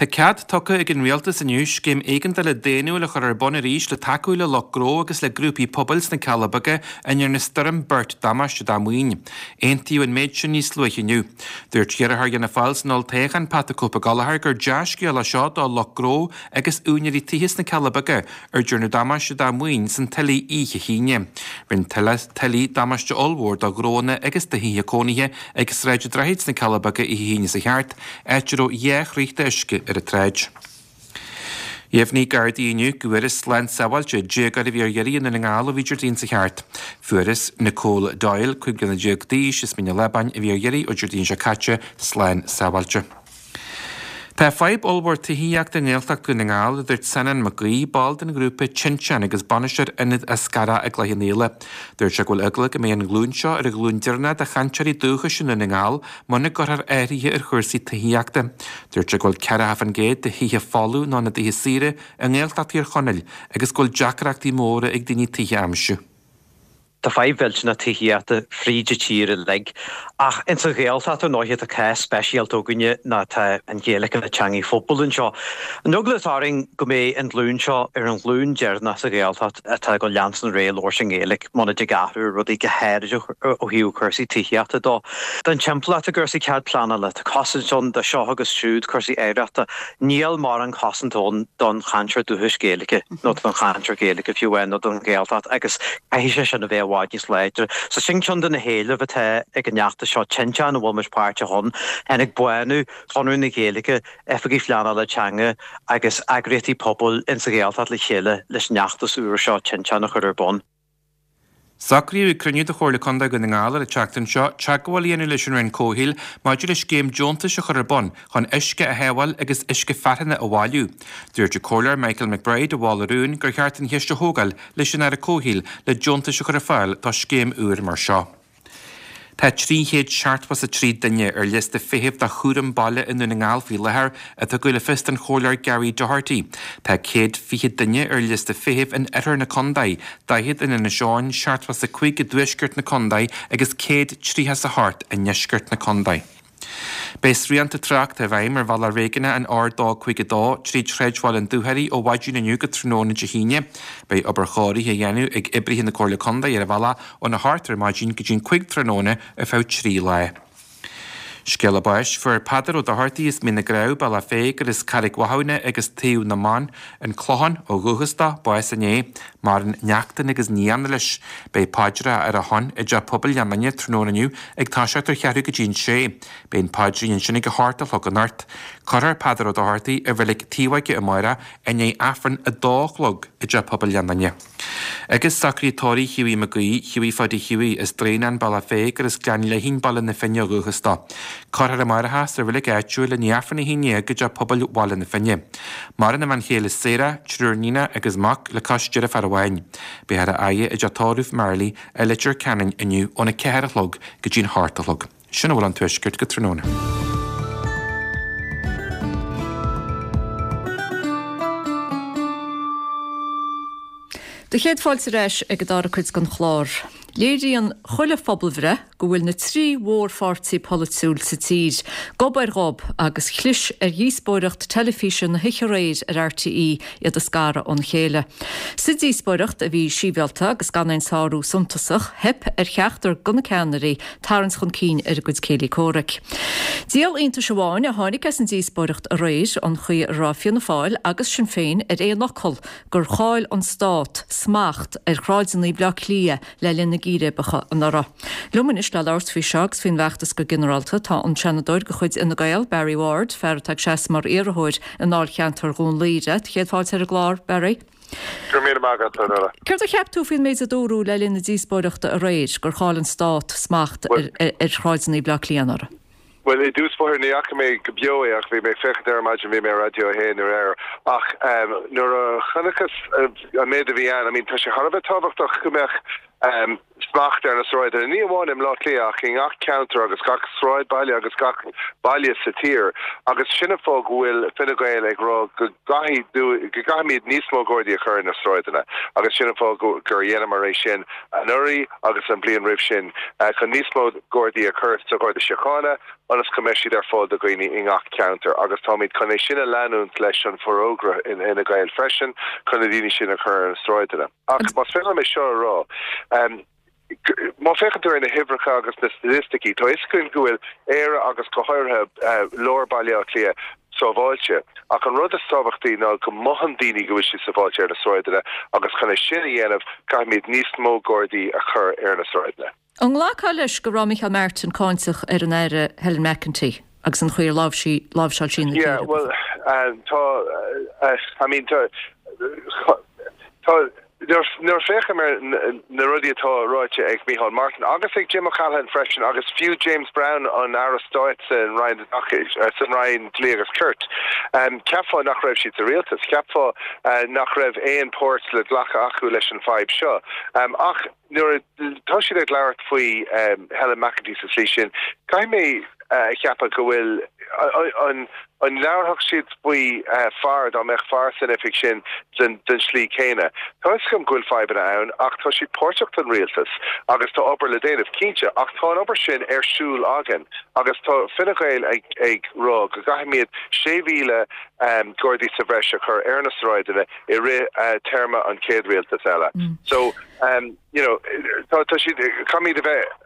Tá cead tugtha ag an Rialtas inniu scéim éigeandála daonnúil a chur ar bun arís le tacú le lucht gnó agus le grúpaí pobail sna Cealla Beaga a ndearna Stoirm Bert damáiste dá maoin. Aontaíodh an méid sin níos luaithe inniu. Dúirt iarrthóir Fhianna Fáil san olltoghchán Pat 'The Cope Gallagher gur dea-scéal é seo do lucht gnó agus úinéirí tithe sna Cealla Beaga ar dearnadh damáiste dá maoin san tuile oíche hAoine. Rinne tuile damáiste ollmhór do ghnóanna agus do thithe cónaithe ag Sráid an Droichid sna Cealla Beaga oíche hAoine seo thart, áit a raibh dhá throigh d'uisce ar an tsráid. Dheimhnigh Gardaí inniu go bhfuarthas slán sábháilte déagóir a bhí ar iarraidh i nDún na nGall ó bhí Déardaoin seo thart. Fuarthas Nicole Doyle, cúig bliana déag d'aois, as Mín an Lábáin, a bhí ar iarraidh ó Déardaoin seo caite, slán sábháilte. Tá fadhb ollmhór tithíochta i nGaeltacht Dhún na nGall, a dúirt Seanán Mac Aoidh, ball den ghrúpa Tinteán agus bainisteoir Ionad Eascarrach i gCloich Cheann Fhaola. Dúirt sé go bhfuil eagla go mbeidh an ghlúin seo ar an ghlúin deireanach de chainteoirí dúchais i nDún na nGall muna gcuirfear athruithe ar chúrsaí tithíochta. Dúirt sé go bhfuil ceathracha faoin gcéad de thithe folamh nó na dtithe saoire i nGaeltacht Thír Chonaill agus go bhfuil deacrachtaí móra ag daoine tithe a aimsiú. Tá fadhb mhillteanach tithíochta fríd an tír uilig, ach ins an Ghaeltacht ar ndóighe tá cás speisialta againne ná tá an Ghaeilge ina teangaidh phobail anseo. An eagla atá orainn go mbeidh an ghlúin seo ar an ghlúin deireanach sa Ghaeltacht atá ag dul leanstan ar aghaidh ag labhairt i nGaeilge muna dtig athrú ar rudaí go háirid ó thaobh cúrsaí tithíochta dó. Don timpeallacht i gcúrsaí cead pleanála, tá cosaint ann do seo agus siúd, cúrsaí oidhreachta. Níl mórán cosaint ann don chainteoir dúchais Gaeilge nó don chainteoir Gaeilge fiú amháin nó don Ghaeltacht agus caithfidh sé sin a bheith i bhfad níos láidre. So sin ceann de na héilimh atá ag an fheachtas seo, Tinteán, a bhfuil muid páirteach ann. Tháinig Bánú, Conradh na Gaeilge, Oifigigh Phleanála Teanga agus eagraíochtaí pobail insa Ghaeltacht le chéile leis an fheachtas úr seo, Tinteán, a chur ar bun. Socraíodh ag cruinniú de Chomhairle Contae Dhún na nGall ar an tseachtain seo teagmháil a dhéanamh leis an Roinn Comhshaoil maidir le scéim deontais a chur ar bun chun uisce a shábháil agus uisce fearthainne a bhailiú. Dúirt an Comhairleoir Michael McBride a mhol an rún gur cheart an cheist a thógáil leis an Aire Comhshaoil le deontais a chur ar fáil do scéim úr mar seo. Tá trí chéad seachtó is a trí duine ar liosta feithimh do chúram baile i nDún na nGall faoi láthair, a tugadh le fios don Chomhairleoir Gary Doherty. Tá céad fiche duine ar liosta feithimh in oirthear na contae, daichead in Inis Eoghain, seachtó is a cúig i dtuaisceart na contae agus céad tríocha is a hocht i ndeisceart na contae. Beidh srianta tráchta i bhfeidhm ar bhealach réigiúnach an R dó cúig a dó tríd shráidbhaile an Dúchoraidh ó mhaidin inniu go tráthnóna Dé hAoine. Beidh obair chóirithe á dhéanamh ag oibrithe na Comhairle Contae ar an bhealach óna hocht ar maidin go dtí'n cúig tráthnóna ar feadh trí lá. Scéala báis, Fuair Peadar Ó Dochartaigh as Mín na gCreamh, Bealach Féich, gur as Carraig Mhathúna agus Taobh na mBan, An Clochán, ó dhúchas dó, bás inné. Maireann neachtain agus nianna leis. Beidh paidreacha ar a shon i dTeach Pobail Ghleann Fhinne tráthnóna inniu ag toiseacht ar cheathrú go dtí an sé. Beidh an paidrín ansin ag a hocht a chlog anocht. Cuirfear Peadar Ó Dochartaigh i Reilig Taobh Aige amárach i ndiaidh Aifreann a dó a chlog i dTeach Pobail Ghleann Fhinne. Agus socraíodh tórramh Hughie Mac Aoidh, Hughie Pháidí Hughie, as Draighneán, Bealach Féich gur as Gleann Léithín, Baile na Finne ó dhúchas dó. Cuirfear amárach é sa reilig áitiúil i ndiaidh Aifreann a haon déag i dTeach Pobail Bhaile na Finne. Maireann a bhean chéile Sarah, triúr níonach agus mac le cois deirféar amháin. Beifear á fhaire i dteach tórraimh Marley i Leitir Ceanainn inniu óna ceathair a chlog go dtí'n hocht a chlog. Sin a bhfuil ón Tuaisceart go tráthnóna. Do chéad fáilte ar ais ag an dara cuid den chlár. Léiríonn chuile phobalbhreith go bhfuil na trí mhórpháirtí polaitiúil sa tír gob ar ghob agus chlis ar dhíospóireacht teilifíse na hoíche aréir ar RTÉ iad a scaradh óna chéile. Sa díospóireacht, a bhí sibhialta agus gan aon sárú suntasach, theip ar cheachtar de na ceannairí tarraingt chun cinn ar a gcuid céilí comhraic. Díol iontais amháin a tháinig as an díospóireacht aréir, an chaoi a raibh Fianna Fáil agus Sinn Féin ar aon fhocal gur chaill an stát smacht ar shráideanna Bhaile Átha Cliath le linn na gcíréibeacha anuraidh. Liom anois le labhairt faoi seo agus faoin bhfeachtas go ginearálta tá an Seanadóir de chuid Fhine Gael, Barry Ward, fear atá ag seasamh mar iarrthóir i ndáilcheantar Dhún Laoghaire. Céad fáilte ar an gclár, Barry. Go raibh míle maith agat, a Nuala. Céard a cheap tú faoin méid a dúradh le linn na díospóireachta aréir, gur chaill an stát smacht ar shráideanna Bhaile Átha Cliath anuraidh? Bhuel, i dtús báire ní fhaca mé go beo é ach bhí mé ag féachaint air ar maidin, bhí mé ar Raidió a haon aréir. Ach nuair a chonaiceas an méid a bhí ann, I mean tá sé thar a bheith tábhachtach go mbeadh smacht ar na sráideanna, ní amháin i mBleá Cliath ach i ngach ceantar agus gach sráidbhaile agus gach baile sa tír. Agus sin an fáth go bhfuil Fine Gael ag rá go gcaithfidh go gcaithfimid níos mó Gardaí a chur ar na sráideanna agus sin an fáth gur dheineamar é sin anuraidh agus an bhliain roimh sin chun níos mó Gardaí a chur sa Gharda Síochána ionas go mbeidh siad ar fáil do dhaoine i ngach ceantar agus táimid chun é sin a leanúint leis an bhforógra in Fhine Gael freisin chun na daoine sin a chur ar na sráideanna. Ach más féidir liom é seo a rá, má féachann tú ar na huimhreacha agus na staitisticí, tá fhios againn go bhfuil Éire agus go háirithe lár Baile Átha Cliath sábháilte. Ach an rud is tábhachtaí ná go mothaíonn daoine go bhfuil siad sábháilte ar na sráideanna agus chun é sin a dhéanamh caithfimid níos mó Gardaí a chur ar na sráideanna. An nglacfá leis go raibh Micheál Martin cáinteach ar an Aire Helen McEntee agus an chaoi ar láimhseáil sí na Yeah, bhuel, tá, I mean, tá, tá, nuair a féachaim ar na rudaí atá ráite ag Micheál Martin agus ag Jim O'Callaghan freisin agus fiú James Browne, an Aire Stáit san Roinn Oideachais, san Roinn Dlí agus Cirt, cheapfá nach raibh siad sa rialtas, cheapfá nach raibh aon páirt le glacadh acu leis an fadhb seo. Ach nuair atá siad ag labhairt faoi Helen McEntee sa tslí sin, caithfidh mé a cheapadh go bhfuil an an labharfadh siad faoi fear dá mbeadh fear san oifig sin den den slí céanna. Tá fhios agam go bhfuil fadhbanna ann ach tá siad páirteach den rialtas agus tá obair le déanamh, cinnte, ach tá an obair sin ar siúl againn agus tá Fine Gael ag ag rá go gcaithfimid sé mhíle Gardaí sa bhreis a chur ar na sráideanna i rith téarma an chéad rialtas eile. So, you know, tá tá siad, caithfimid a bheith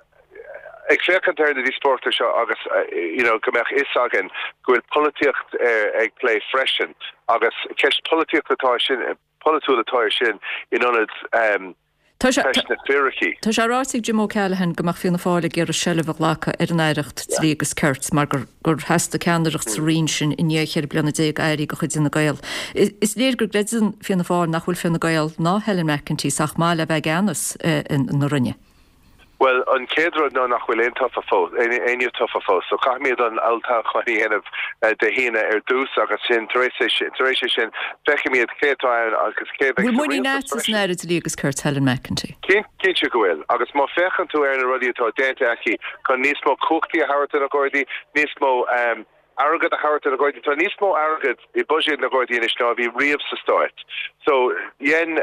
ag féachaint ar na díospóireachtaí seo agus, you know, go mbeadh fhios againn go bhfuil polaitíocht ag plé freisin agus ceist polaitíochta atá sin, polaitiúil atá ar sin in ionad Tá sé ceist na fíricí. Tá sé ráite ag Jim O'Callaghan go mbeadh Fianna Fáil ag iarraidh seilbh a ghlacadh ar an Aireacht Dlí agus Cirt mar gur gur theastaigh ceannaireacht sa roinn sin i ndiaidh cheithre bliana déag airí de chuid Fhine Gael. Is léir go gcreideann Fianna Fáil nach bhfuil Fine Gael ná Helen McEntee sách maith le bheith i gceannas na roinne. Bhuel, an chéad rud ná nach bhfuil aon tofa fós, éinne tofa fós, so caithfimid an olltoghchán a dhéanamh Dé hAoine ar dtús agus sin, tar éis é, tar éis é sin, feicfimid cé atá ann agus cé a bheidh Bhfuil sa muinín rialtas agat san freisin. Aire Dlí agus Cirt, Helen McEntee? Cinnte go bhfuil, agus má féachann tú ar na rudaí atá déanta aici chun níos mó cumhachtaí a thabhairt do na Gardaí, níos mó airgead a thabhairt do na Gardaí, tá níos mó airgead i buiséad na Gardaí anois ná a bhí riamh sa Stát. So, dhein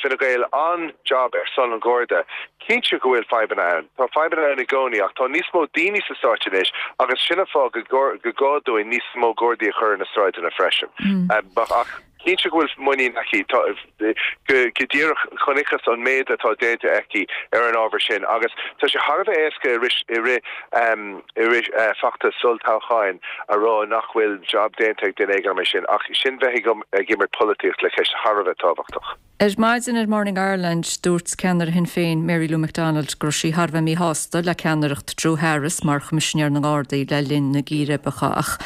Fine Gael an-jab ar son an Gharda. Cinnte go bhfuil fadhbanna ann. Tá fadhbanna ann i gcónaí ach tá níos mó daoine sa Stáit anois agus sin an fáth go gá dúinn níos mó Gardaí a chur ar na sráideanna freisin. Ach. Cinnte go bhfuil muinín aici. Tá, go díreach, chonaiceas an méid atá déanta aici ar an ábhar sin agus tá sé thar a bheith éasca i rith, i rith, i rith feachtas olltoghcháin a rá nach bhfuil jab déanta ag duine éigin mar sin ach sin bheith ag imirt polaitíocht le ceist thar a bheith tábhachtach. Ar maidin ar Morning Ireland, dúirt ceannaire Shinn Féin, Mary Lou McDonald, go raibh sí thar a bheith míshásta le ceannaireacht Drew Harris mar Choimisinéir na nGardaí le linn na gcíréibeacha ach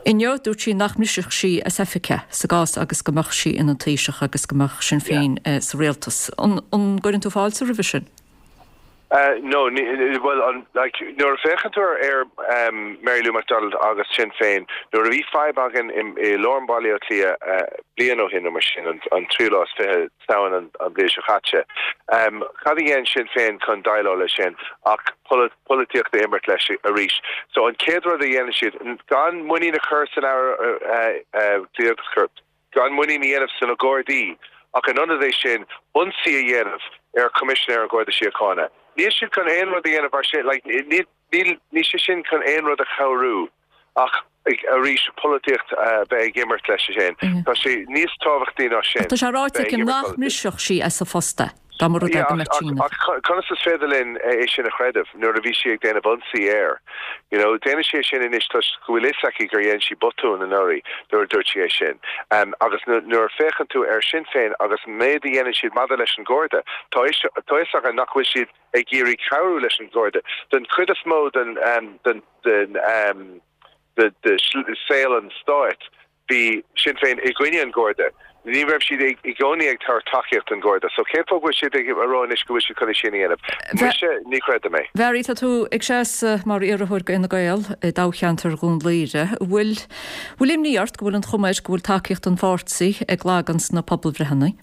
inniu dúirt sí nach mbrisfeadh sí as oifig é sa gcás agus go mbeadh sí ina Taoiseach agus go mbeadh Sinn Féin sa rialtas. An gcuireann tú fáilte roimhe sin? No, bhuel, an, like, nuair a féachann tú ar Mary Lou McDonald agus Sinn Féin, nuair a bhí fadhb againn i lár Bhaile Átha Cliath bliain ó shin nó mar sin, an tríú lá is fiche Samhain an bhliain seo caite, cad a dhein Sinn Féin chun déileáil leis sin ach polaitíocht a imirt leis arís. So an chéad rud a dhéanann siad, gan muinín a chur san Aire Dlí agus Cirt, gan muinín a dhéanamh sna Gardaí ach in ionad é sin, ionsaí a dhéanamh ar Choimisinéir an Gharda Síochána. Níl siad chun aon rud a dhéanamh mar sin, like, níl níl níl sé sin chun aon rud a chabhrú ach arís polaitíocht a bheith ag imirt leis sin. Tá sé níos tábhachtaí ná sin. Tá sé ráite aici nach mbrisfeadh sí as a post é, dá mba rud é go mbeadh síneadh. Ach conas is féidir linn é sin a chreideamh nuair a bhí sí ag déanamh ionsaí air? You know, déanann sí é sin anois toisc go bhfuil fhios aici gur dhein sí botún anuraidh nuair a dúirt sí é sin. Agus nuair a féachann tú ar Sinn Féin agus an méid a dhéanann siad maidir leis an Gharda, tá fhios againn nach bhfuil siad ag iarraidh cabhrú leis an Gharda. Den chuid is mó den den den de saol an stáit, bhí Sinn Féin i gcoinne an Gharda. Ní raibh siad i gcónaí ag tabhairt tacaíocht don Gharda. So cén fáth go bhfuil siad ag rá anois go bhfuil siad chun é sin a dhéanamh? Mise, ní chreidim é. Bharry, tá tú ag seasamh mar iarrthóir do Fhine Gael i dtoghcheantar Dhún Laoghaire. Bhfuil bhfuil imní ort go bhfuil an chuma air go bhfuil tacaíocht an pháirtí ag lagan sna pobalbhreitheanna?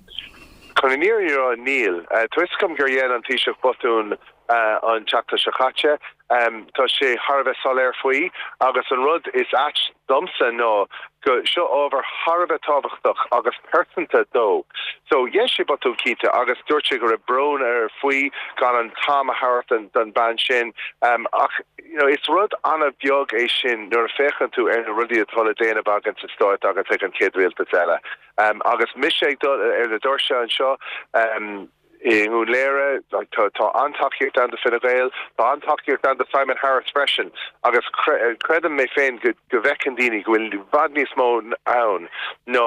Chun an fhírinne a rá, níl. Tá fhios agam gur dhein an Taoiseach botún an tseachtain seo caite. Tá sé thar a bheith soiléir faoi agus an rud is ait domsa ná go seo ábhar thar a bheith tábhachtach agus pearsanta dó. So dhein sé botún cinnte agus dúirt sé go raibh brón air faoi gan an t-am a thabhairt don bean sin ach you know is rud an-bheag é sin nuair a féachann tú ar na rudaí atá le déanamh againn sa stát agus ag an chéad rialtas eile. Agus mise ag dul ar na doirse anseo i nDún Laoghaire, tá tá an-tacaíocht ann do Fine Gael, tá an-tacaíocht ann do Simon Harris freisin agus creidim mé féin go go bhfeiceann daoine go bhfuil i bhfad níos mó ann ná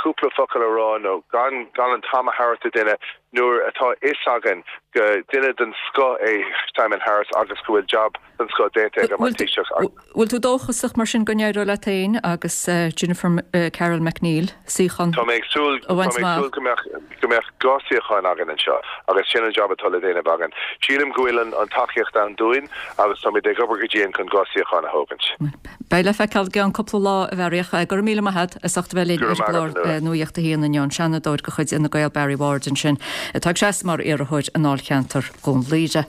cúpla focal a rá nó gan gan an t-am a thabhairt do duine nuair atá fhios againn go duine den scoth é Simon Harris agus go bhfuil jab den scoth déanta aige mar Taoiseach. Bhfuil tú dóchasach mar sin go n-éireoidh leat féin agus Jennifer Carroll MacNeill suíochán Tá mé ag súil a bhaint tá mé ag amach? súil go mbeadh go mbeadh dhá suíochán againn anseo agus sin an jab atá le déanamh againn. Sílim go bhfuil an an tacaíocht ann dúinn agus táimid ag obair go dian chun dhá suíochán a thógaint. Beidh le feiceáil i gceann cúpla lá a Bharry ach go raibh míle maith agat as ucht a bheith linn Go raibh ar maith agat, an gclár Nuala. Nuacht a haon inniu, an Seanadóir de chuid Fhine Gael Barry Ward ansin atá ag seasamh mar iarrthóir i ndáilcheantar Dhún Laoghaire.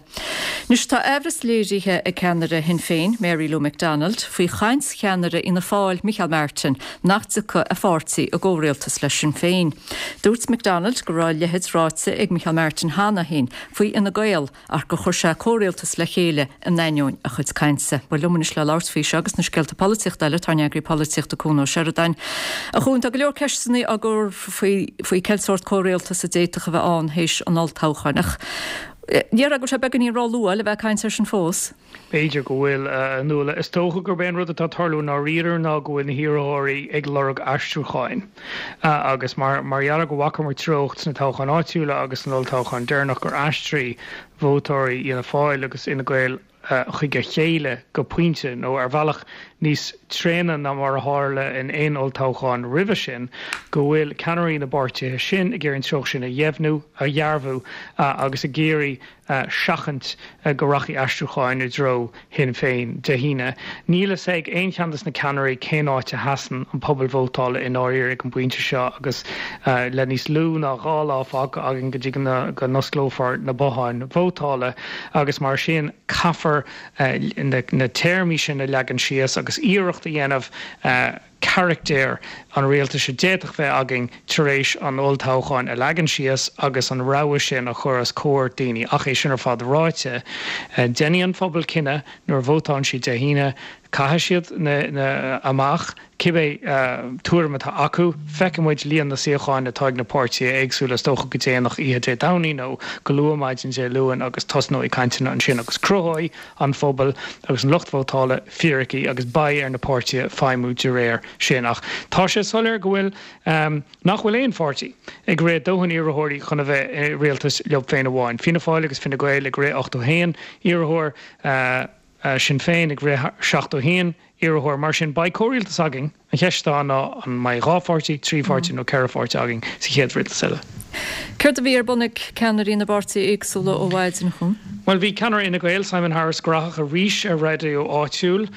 Anois tá aimhreas léirithe ag ceannaire Shinn Féin, Mary Lou McDonald, faoi chaint cheannaire Fhianna Fáil, Micheál Martin, nach dtiocfadh a pháirtí i gcomhrialtas le Sinn Féin. Dúirt McDonald go raibh a leithéid ráite ag Micheál Martin cheana féin faoi Fhine Gael ach gur chuir sé comhrialtas le chéile in ainneoin a chuid cainte. Bhuel liom anois le labhairt faoi seo agus na scéalta polaitíochta eile tá ár n-eagraí polaitíochta Cuan Ó Seireadáin. A Chuain, tá go leor ceisteanna á gcur faoi faoi cén sórt comhrialtas a d'fhéadfadh a bheith ann théis an olltoghcháin. Ach déarfá go bhfuil sé beagáinín róluath le bheith ag caint air sin fós. B'fhéidir go bhfuil a Nuala. Is dócha gurb é an rud atá ag tarlú i ndáiríre ná go bhfuil na hiarrthóirí ag lorg aistriúcháin. Agus mar mar gheall go bhfacamar treocht sna toghcháin áitiúla agus san olltoghchán deireanach gur aistrigh vótóirí Fhianna Fáil agus Fhine Gael chuig a chéile go pointe nó ar bhealach níos tréine ná mar a tharla in aon olltoghchán roimhe sin, go bhfuil ceannairí na bpáirtithe sin ag iarraidh an treocht sin a dheimhniú, a dhearbhu agus ag iarraidh seachaint go rachaidh aistriúcháin i dtreo Shinn Féin Dé hAoine. Níl fhios ag aon cheann de na ceannairí cén áit a sheasann an pobal vótála i ndáiríre ag an bpointe seo agus le níos lú ná dhá lá fágtha againn go dtí go n-osclófar na botháin vótála agus mar sin caithfear na téarmaí sin a leagan síos agus iarracht a dhéanamh carachtar an rialtais a d'fhéadfadh bheith againn tar éis an olltoghcháin a leagan síos agus an rogha sin a chur os comhair daoine. Ach é sin ar fad ráite, déanfaidh an phobal cinneadh nuair a vótálann siad Dé hAoine, caithfidh siad na, na, amach cibé tuairim atá acu. Feicfidh muid líon na suíochán atá ag na páirtithe éagsúla is dócha go déanach oíche Dé Domhnaigh nó go luath maidin Dé Luain agus tosnóidh cainteanna ansin agus cruthóidh an phobal agus an lucht vótála fíricí agus beidh ar na páirtithe feidhmiú de réir sin. Ach tá sé soiléir go bhfuil nach bhfuil aon pháirtí ag rith dóthain iarrthóirí chun a bheith i rialtas leo féin amháin. Fianna Fáil agus Fine Gael ag rith ochtó haon iarrthóir, Sinn Féin ag rith seachtó haon iarrthóir. Mar sin, beidh comhrialtas againn. An cheist atá ná an mbeidh dhá pháirtí, trí pháirtí nó ceithre pháirtí againn sa chéad rialtas eile. Céard a bhí ar bun ag ceannairí na bpáirtithe éagsúla ó mhaidin, a Chuain? Bhuel, bhí ceannaire Fhine Gael, Simon Harris, graitheach arís ar raidió áitiúil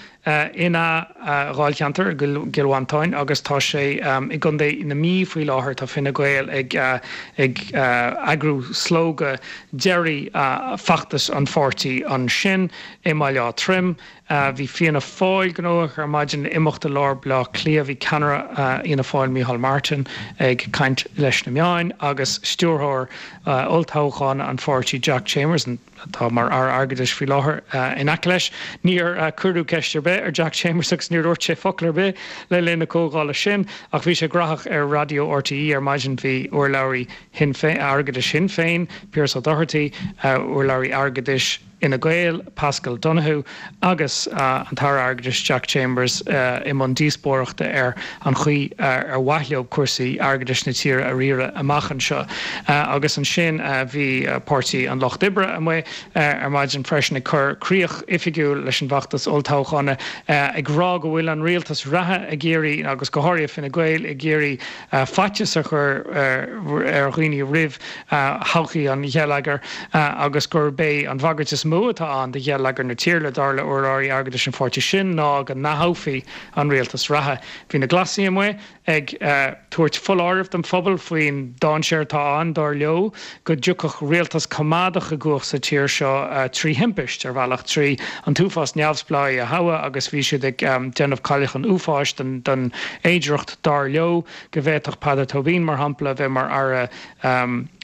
ina dháilcheantar i gCill Mhantáin agus tá sé i gContae na Mí faoi láthair. Tá Fine Gael ag ag eagrú slógadh deiridh feachtas an pháirtí ansin i mBaile Átha Troim. Bhí Fianna Fáil gnóthach ar maidin le imeacht i lár Bhaile Átha Cliath. Bhí ceannaire Fhianna Fáil Micheál Martin ag caint leis na meáin agus agus stiúrthóir olltoghcháin an pháirtí Jack Chambers atá mar Aire Airgeadais faoi láthair in aice leis. Níor cuireadh ceist ar bith ar Jack Chambers agus níor dhúirt sé focal ar bith le linn na comhdhála sin ach bhí sé graitheach ar raidió RTÉ ar maidin bhí urlabhraí airgeadais Shinn Féin, Pearse Doherty, urlabhraí airgeadais Fhine Gael, Paschal Donohoe agus an tAire Airgeadais Jack Chambers i mbun díospóireachta ar an chaoi ar mhaith leo cúrsaí airgeadais na tíre a riaradh amach anseo. Agus ansin bhí Páirtí an Lucht Oibre amuigh ar maidin freisin ag cur críoch oifigiúil leis an bhfeachtas olltoghcháin ag rá go bhfuil an rialtas reatha ag iarraidh agus go háirithe Fine Gael ag iarraidh faitíos a chur ar dhaoine roimh thodhchaí an gheilleagair agus gurb é an bhagairt is mó atá ann do gheilleagar na tíre dar le urlabhraí airgeadais an pháirtí sin ná go n-atoghfaí an rialtas reatha. Bhí na Glasaigh amuigh ag tabhairt foláireamh don phobal faoin dainséar atá ann, dar leo, go dtiocfadh rialtas coimeádach i gcumhacht sa tír seo trí thimpist, ar bhealach, trí an t-uafás neamhspleáigh a thoghadh agus bhí siad ag déanamh cailleach an uafáis den fhéidearthacht, dar leo, go bhféadfadh Peadar Tóibín, mar shampla, a bheith mar Aire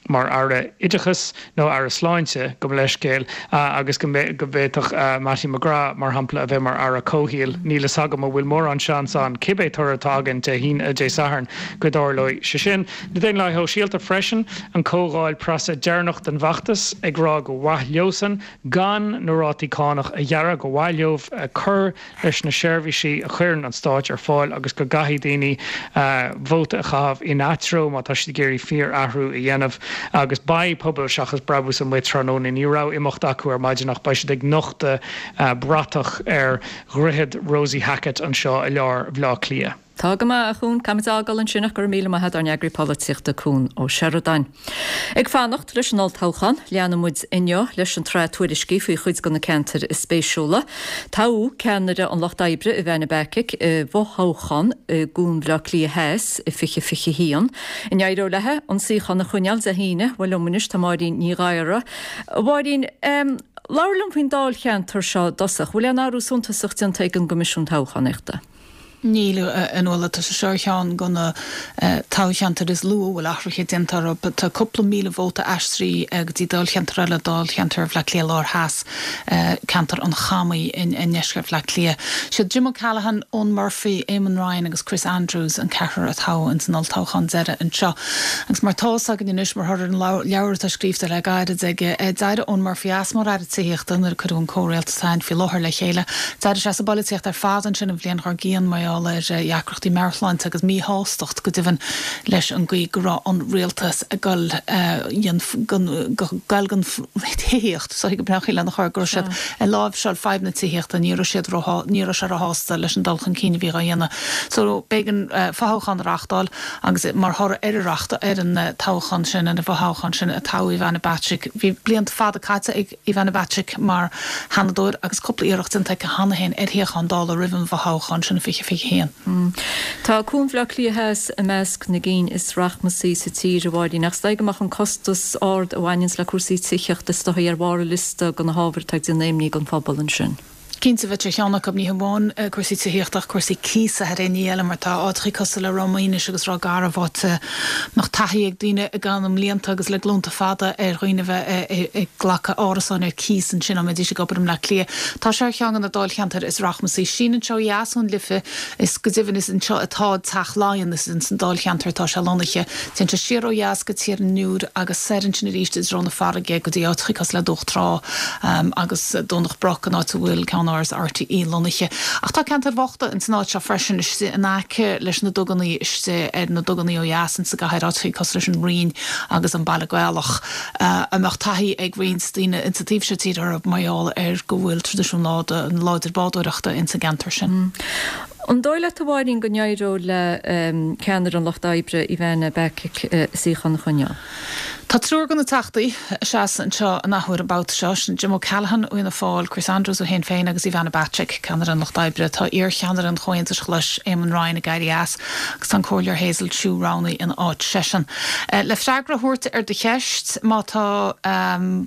mar Aire Oideachais nó Aire Sláinte, gabh mo leithscéal, agus go bhféadfadh Mattie McGrath, mar shampla, a bheith mar Aire Comhshaoil. Níl fhios agam an bhfuil mórán seans ann, cibé toradh atá againn Dé hAoine, Dé Sathairn, go dtarlóidh sé sin. Na Daonlathaithe Shóisialta freisin, an comhdháil preasa deireanach den bhfeachtas, ag rá gur mhaith leosan gan na rátaí cánach a ghearradh, gur mhaith leo cur leis na seirbhísí a chuireann an stáit ar fáil agus go gcaithfidh daoine vóta a chaitheamh ina dtreo má tá siad ag iarraidh fíor-athrú a dhéanamh. Agus beidh Pobal Seachas Brabús amuigh tráthnóna. Ní raibh imeacht acu ar maidin ach beidh siad ag nochtadh bratach ar dhroichead Rosie Hackett anseo i lár Bhaile Átha Cliath. Tá go maith, a Chuan. Caithfimid é a fhágáil ansin ach go raibh míle maith agat ár n-eagraí polaitíochta Cuan Ó Seireadáin. Ag fanacht leis an olltoghchán, leanfaidh muid inniu leis an tsraith tuairiscí faoi chuid de na ceantair is spéisiúla. Toghadh ceannaire an Lucht Oibre, Ivana Bacik, i bhfothoghchán i gCuan Bhaile Átha Cliath Theas i fiche fiche haon. An éireoidh léi an suíochán a choinneáil Dé hAoine? Bhuel liom anois tá Máirín Ní Ghadhra. A Mháirín, labhair liom faoin dáilcheantar seo i dtosach. Bhfuil aon athrú suntasach déanta ag an gCoimisiún Toghchánaíochta? Níl, a Nuala, tá sé seo ar cheann de na toghcheantair is lú a bhfuil athruithe déanta orthu. Tá cúpla míle vóta aistrithe go dtí dáilcheantar eile, dáilcheantar Bhaile Átha Cliath Lár Theas, ceantar an Chamaigh i ndeisceart Bhaile Átha Cliath. Siad Jim O'Callaghan, Eoghan Murphy, Eamon Ryan agus Chris Andrews an ceathrar a toghadh ins an olltoghchán deiridh anseo. Agus mar tá fhios againn anois, mar thoradh ar an leabhar atá scríofa le gairid aige, d'éirigh Eoghan Murphy as mar Aire Tithíochta nuair a cuireadh an comhrialtas atá ann faoi láthair le chéile. D'éirigh sé as an bpolaitíocht ar fad ansin an bhliain dár gcionn mar gheall ar dheacrachtaí meabhairshláinte agus míshástacht go deimhin leis an gcaoi go raibh an rialtas ag dul gol den tithíocht, so go breá lena chur go raibh siad ag láimhseáil fadhb na tithíochta, ní raibh siad ní raibh sé róshásta leis an dul chun cinn a bhí á dhéanamh. So b'éigean fothoghchán a reáchtáil agus mar thoradh ar an reacht ar an toghchán sin, ar an bhfothoghchán sin a toghadh Ivana Bacik. Bhí blianta fada caite ag Ivana Bacik mar Sheanadóir agus cúpla iarracht déanta aici cheana féin ar shuíochán Dála roimh an bhfothoghchán sin i fiche fiche haon. Tá Cuan Bhaile Átha Cliath Theas i measc na gcinn is rachmasaí sa tír, a Mháirín, ach is dóigh go mbeadh an costas ard a bhaineanns le cúrsaí tithíochta is dóigh ar bharr an liosta de na hábhair atá ag déanamh imní don phobal ansin. Cinnte, bheadh sé ar cheann acu, ní hamháin cúrsaí tithíochta ach cúrsaí cíosa thar aon ní eile mar tá áiteachaí cosúil le Ráth Maoinis agus Ráth Garbh, áit a mbeadh taithí ag daoine i gcaitheamh na mblianta agus le glúnta fada ar dhaoine a bheith ag glacadh árasáin ar cíos ansin dá mbeidís ag obair i mBleá Cliath. Tá sé ar cheann de na dáilcheantair is rachmasaí. Síneann sé ó dheas ón Life is go deimhin is anseo atá Teach Laighean, is ins an dáilcheantar atá sé lonnaithe. Téann sé siar ó dheas go Tír an Iúir agus soir ansin arís i dtreo na farraige go dtí áiteachaí cosúil le Dumhach Trá agus Domhnach Broc, an áit a bhfuil ceannáras RTÉ lonnaithe. Ach tá ceantair bhochta ins an áit seo freisin, istigh in aice leis na dugannaí, istigh ar na dugannaí ó dheas ins an gcathair, áiteachaí cosúil leis an Rinn agus an Baile Gaelach, a mbeadh taithí ag roinnt daoine ins an taobh seo tíre orthu mar gheall ar go bhfuil traidisiún láidir bádóireachta ins an gceantar sin. An dóigh leat, a Mháirín, go n-éireoidh le ceannaire an Lucht Oibre, Ivana Bacik, suíochán a choinneáil? Tá triúr de na Teachtaí ag seasamh anseo an athuair an babhta seo, sin Jim O'Callaghan ó Fhianna Fáil, Chris Andrews ó Shinn Féin agus Ivana Bacik, ceannaire an Lucht Oibre. Tá iarcheannaire an Chomhaontais Ghlais, Eamon Ryan ag éirí as agus tá an Comhairleoir Hazel Chu roghnaithe ina áit seisean. Le freagra a thabhairt ar do cheist, má tá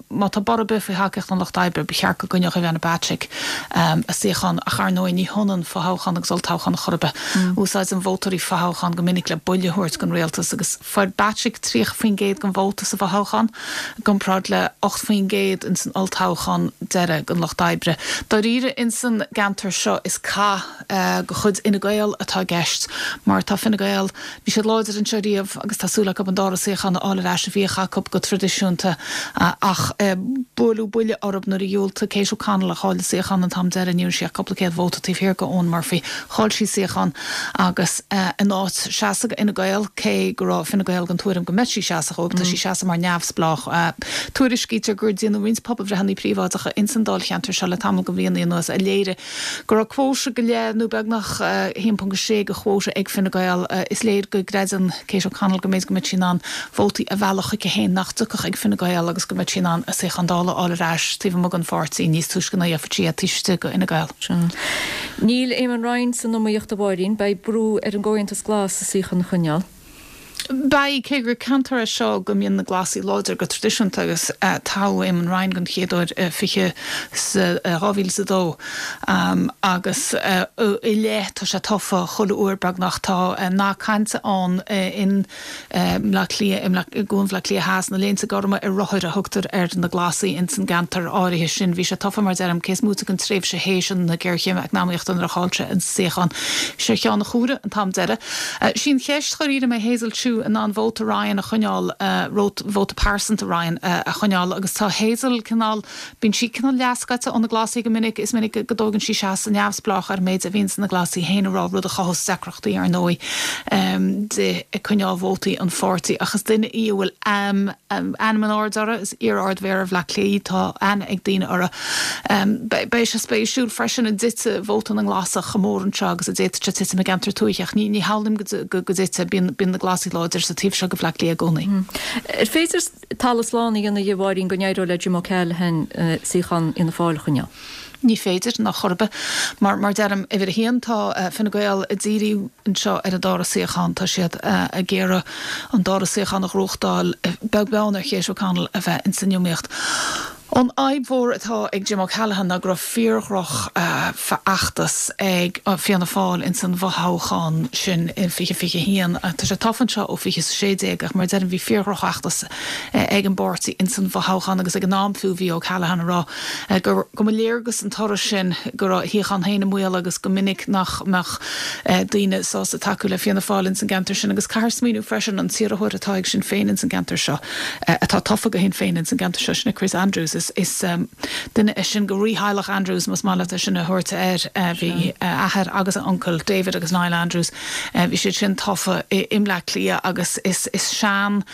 má tá borradh ar bith faoi thacaíocht an Lucht Oibre, ba cheart go gcoinneodh Ivana Bacik a suíochán ach ar ndóigh ní hionann fothoghchán agus olltoghchán chor ar bith. Úsáideann vótóirí fothoghchán go minic le buille a thabhairt don rialtas agus fuair Bacik tríocha faoin gcéad den vóta sa bhfothoghchán, i gcomparáid le ocht faoin gcéad ins an olltoghchán deiridh don Lucht Oibre. Dáiríre ins an gceantar seo is cath de chuid Fhine Gael atá i gceist mar tá Fine Gael, bhí siad láidir anseo riamh agus tá súil acu an dara suíochán a fháil ar ais a bhíodh acu go traidisiúnta ach buaileadh buille orthu nuair a dhiúltaigh Kate O'Connell a chaill a suíochán an t-am deiridh, ní raibh sí ach cúpla céad vóta taobh thiar de Eoghan Murphy. Chaill sí suíochán agus in áit seasamh do Fhine Gael, cé go raibh Fine Gael den tuairim go mbeadh sí ag seasamh dhóibh, tá sí ag seasamh mar neamhspleách. Tuairiscítear gur déanadh roinnt pobalbhreitheanna príobháideacha ins an dáilcheantar seo le tamall de bhlianta anuas a léirigh go raibh cuóta go leith nó beagnach a haon ponc a sé de chuóta ag Fine Gael. Is léir go gcreideann Kate O'Connell go mb'fhéidir go mbeidh sí in ann vótaí a mhealladh chuici féin nach dtiocfadh ag Fine Gael agus go mbeidh sí in ann a suíochán Dála a fháil ar ais taobh amuigh den pháirtí níos túisce ná a dhéanfadh sí é taobh istigh de Fhine Gael. Níl Eamon Ryan san iomaíocht a Mháirín, beidh brú ar an gComhaontas Glas a suíochán a choinneáil. Beidh, cé gur ceantar é seo go mbíonn na Glasaigh láidir go traidisiúnta agus toghadh Eamon Ryan den chéad uair i fiche dhá mhíle is a dó agus i leith tá sé tofa chuile uair beagnach. Tá nath cainte ann in mBleá Cliath, i gCuan Bhaile Átha Cliath Theas, na Léinte Gorma ar rothair a thugtar ar na Glasaigh ins an gceantar áirithe sin. Bhí sé tofa mar deirim, cé is móite den tréimhse théis na géarchéime eacnamaíochta nuair a chaill sé an suíochán. Bhí sé ar cheann a chuaire an t-am deiridh. Sí an cheist dháiríre an mbeidh Hazel Chu in ann vóta Ryan a choinneáil, vóta pearsanta Ryan a choinneáil agus tá Hazel cineál, bíonn sí cineál leathscoite ó na Glasaigh go minic, is minic go dtógann sí seasamh neamhspleách ar an méid a bhíonns na Glasaigh féin a rá, rud a chothós deacrachtaí ar ndóigh di ag coinneáil vótaí an pháirtí. Ach is duine í a bhfuil ainm in airde uirthi, is iar-Ard-Mhéara Bhaile Átha Cliath í, tá aithne ag daoine uirthi. Beidh sé spéisiúil freisin an dtitfidh vóta na nGlasach chomh mór anseo agus a d'fhéadfadh sé titim i gceantar tuaithe ach ní shamhlaím go dtitfidh, bíonn na Glasaigh láidir sa taobh seo de Bhaile Átha Cliath i gcónaí. Ar féidir talamh slán a dhéanamh dhe, a Mháirín, go n-éireoidh le Jim O'Callaghan suíochán Fhianna Fáil a choinneáil? Ní féidir, ná chor ar bith. Mar, mar deirim, uimhir a haon, tá Fine Gael ag díriú anseo ar an dara suíochán. Tá siad ag iarraidh an dara suíochán a ghnóthachtáil, beag beann ar Kate O'Connell a bheith ins an iomaíocht. An fhadhb mhór atá ag Jim O'Callaghan ná go raibh fíor-dhroch fheachtas ag Fianna Fáil ins an bhfothoghchán sin in fiche fiche a haon. Tá sé tofa anseo ó fiche sé déag ach mar a deirim bhí fíor-dhroch fheachtas ag an bpáirtí ins an bhfothoghchán agus ag an am fiú bhí O'Callaghan ag rá gur go mba léargas an toradh sin go raibh a shuíochán féin i mbaol agus go minic nach mbeadh daoine sásta tacú le Fianna Fáil ins an gceantar sin agus caithfear smaoineamh freisin an t-iarrthóir atá ag Sinn Féin ins an gceantar seo atá tofa do Shinn Féin ins an gceantar seo sin é Chris Andrews. Is is duine é sin de rítheaghlach Andrews más maith leat é sin a thabhairt air. Bhí a athair agus a uncail, David agus Niall Andrews, bhí siad sin tofa i mBleá Cliath agus is is sean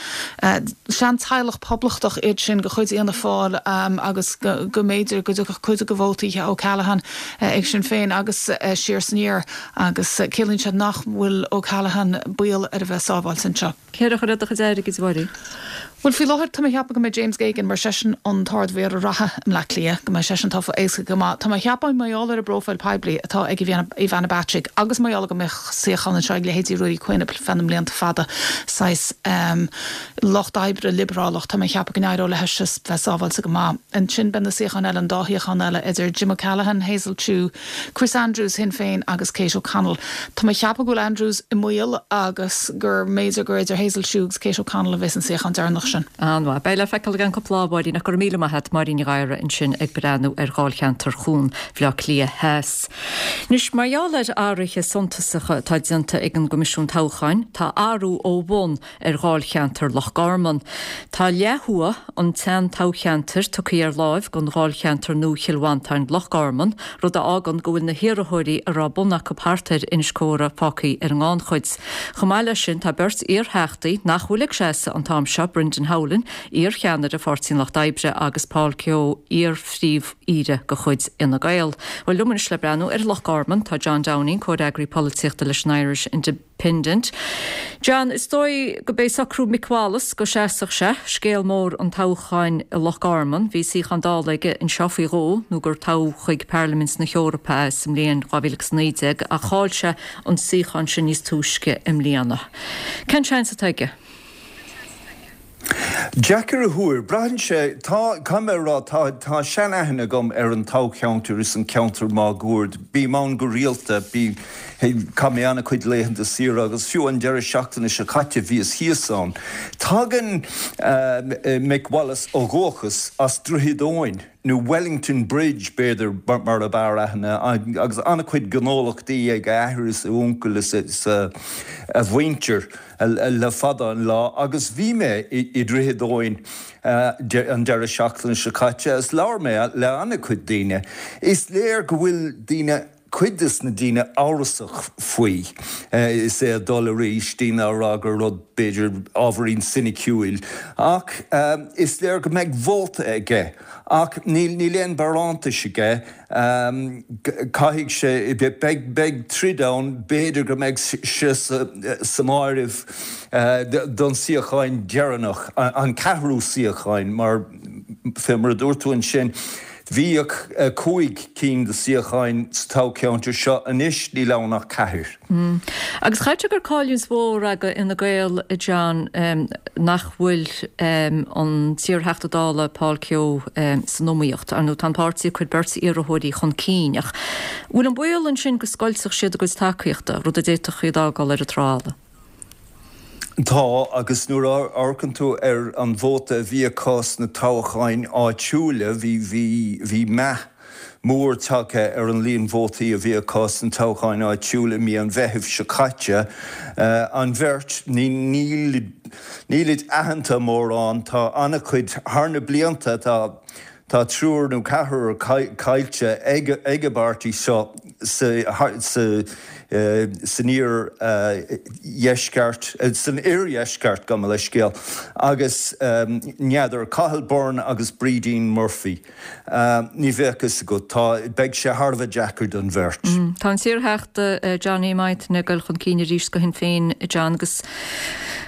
sean-teaghlach poblachtach iad sin de chuid Fhianna Fáil agus go go mb'fhéidir go dtiocfadh cuid de vótaí O'Callaghan ag Sinn Féin agus siar is aniar agus ciallaíonn sé nach bhfuil O'Callaghan baol ar a bheith sábháilte anseo. Cé a chuirfeá do chuid airgid, a Mháirín? Bhuel, faoi láthair tá mé ag ceapadh go mbeidh James Geoghegan, mar seisean an tArd-Mhéara reatha i mBleá Cliath, go mbeidh seisean tofa éasca go maith. Tá mé ag ceapadh mar gheall ar an bpróifíl poiblí atá ag Ivana Bacik agus mar gheall go mbeadh suíochán anseo ag leithéidí Ruairí Quinn ar feadh na mblianta fada, saghas lucht oibre liobrálach, tá mé ag ceapadh go n-éireodh léi bheith sábháilte go maith. Ansin beidh na suíocháin eile, an dá shuíochán eile, idir Jim O'Callaghan, Hazel Chu, Chris Andrews, Shinn Féin agus Kate O'Connell. Tá mé ag ceapadh go bhfuil Andrews i mbaol agus gur mb'fhéidir gur idir Hazel Chu agus Kate O'Connell a bheas an suíochán deireanach sin. An-mhaith. Beidh le feiceáil i gceann cúpla lá, a Mháirín, ach go raibh míle maith agat, Máirín Ní Ghadhra ansin ag breathnú ar dháilcheantar Chuan Bhaile Átha Cliath Theas. Anois, mar gheall ar athruithe suntasacha atá déanta ag an gCoimisiún Toghcháin, tá athrú ó bhun ar dháilcheantar Loch Garman. Tá leath thuaidh an tsean-toghcheantair tugtha ar láimh don dháilcheantar nua Chill Mhantáin-Loch Garman, rud a fhágann go bhfuil na hiarrthóirí a raibh bun acu thart ar Inis Córthaidh fágtha ar an ngannchuid. Chomh maith leis sin, tá beirt iar-theachtaí nach bhfuil ag seasamh an t-am seo, Brendan Brendan Howlin, iar-cheannaire Pháirtí an Lucht Oibre agus Paul Kehoe, iar-phríomh-aoire de chuid Fhine Gael. Bhuel liom anois le breathnú ar Loch Garman tá John Downing, comhfhreagraí polaitíochta leis an Irish Independent. John, is dóigh go b'é socrú Mick Wallace go seasfadh sé scéal mór an toghcháin i Loch Garman, bhí suíochán Dála aige anseo faoi dhó nó gur toghadh chuig Parlaimint na hEorpa sa mbliain dhá mhíle agus naoi déag ach chaill sé an suíochán sin níos túisce i mbliana. Cén seans atá aige? Deacair a thuar, braitheann sé, tá, caithfidh mé a rá, tá, tá seanaithne agam ar an toghcheantar is an ceantar máguaird. Bím ann go rialta, bí, chaith mé an-chuid laethanta saoire agus fiú an deireadh seachtaine seo caite bhíos thíos ann. Tagann Mick Wallace ó dhúchas as Droichead Eoin, nó Wellington Bridge b'fhéidir mar ab fhearr aithne, agus an-chuid gnólachtaí ag a athair is a uncail is a mhuintir le fada an lá agus bhí mé i Droichead Eoin an deireadh seachtaine seo caite agus labhair mé le an-chuid daoine. Is léir go bhfuil daoine, cuid des na daoine amhrasach faoi is é ag dul arís, daoine á rá gur rud b'fhéidir ábhairín soiniciúil ach is léir go mbeidh vóta aige ach níl níl aon barántais aige. Caithfidh sé, beidh beidh troid ann, b'fhéidir go mbeidh sé san áireamh don suíocháin deireanach, an ceathrú suíocháin mar fé mar a dúirt tú ansin, Bhíodh cúig cinn de suíocháin sa toghcheantar seo, anois níl ann ach ceathair. Agus chaithfeadh sé gur cailliúint mhór ag Fhine Gael, a John, nach bhfuil an t-iarTheachta Dála Paul Kehoe san iomaíocht. Ar ndóigh tá an páirtí ag cur beirt iarrthóirí chun cinn ach bhfuil an baol ansin go scoiltfeadh siad a gcuid tacaíochta, rud a d'fhéadfadh iad a fhágáil ar an trá fhada? Tá, agus nuair a amharcann tú ar an vóta a bhí acu sna toghcháin áitiúla, bhí, bhí, bhí meath mór tagtha ar an líon vótaí a bhí acu sna toghcháin áitiúla i mí an Mheithimh seo caite. An bheirt, ní, níl, nílid aitheanta mórán, tá an-chuid, thar na blianta, tá, Tá triúr nó ceathrar caillte ag an bpáirtí seo san iardheisceart, san oirdheisceart, gabh mo leithscéal, agus n'fheadar, Cathal Byrne agus Brídín Murphy, ní bheadh fhios agat, tá, beidh sé thar a bheith deacair don bheirt. Tá an t-iarTheachta Johnny Mythen ag dul chun cinn arís do Shinn Féin, John, agus.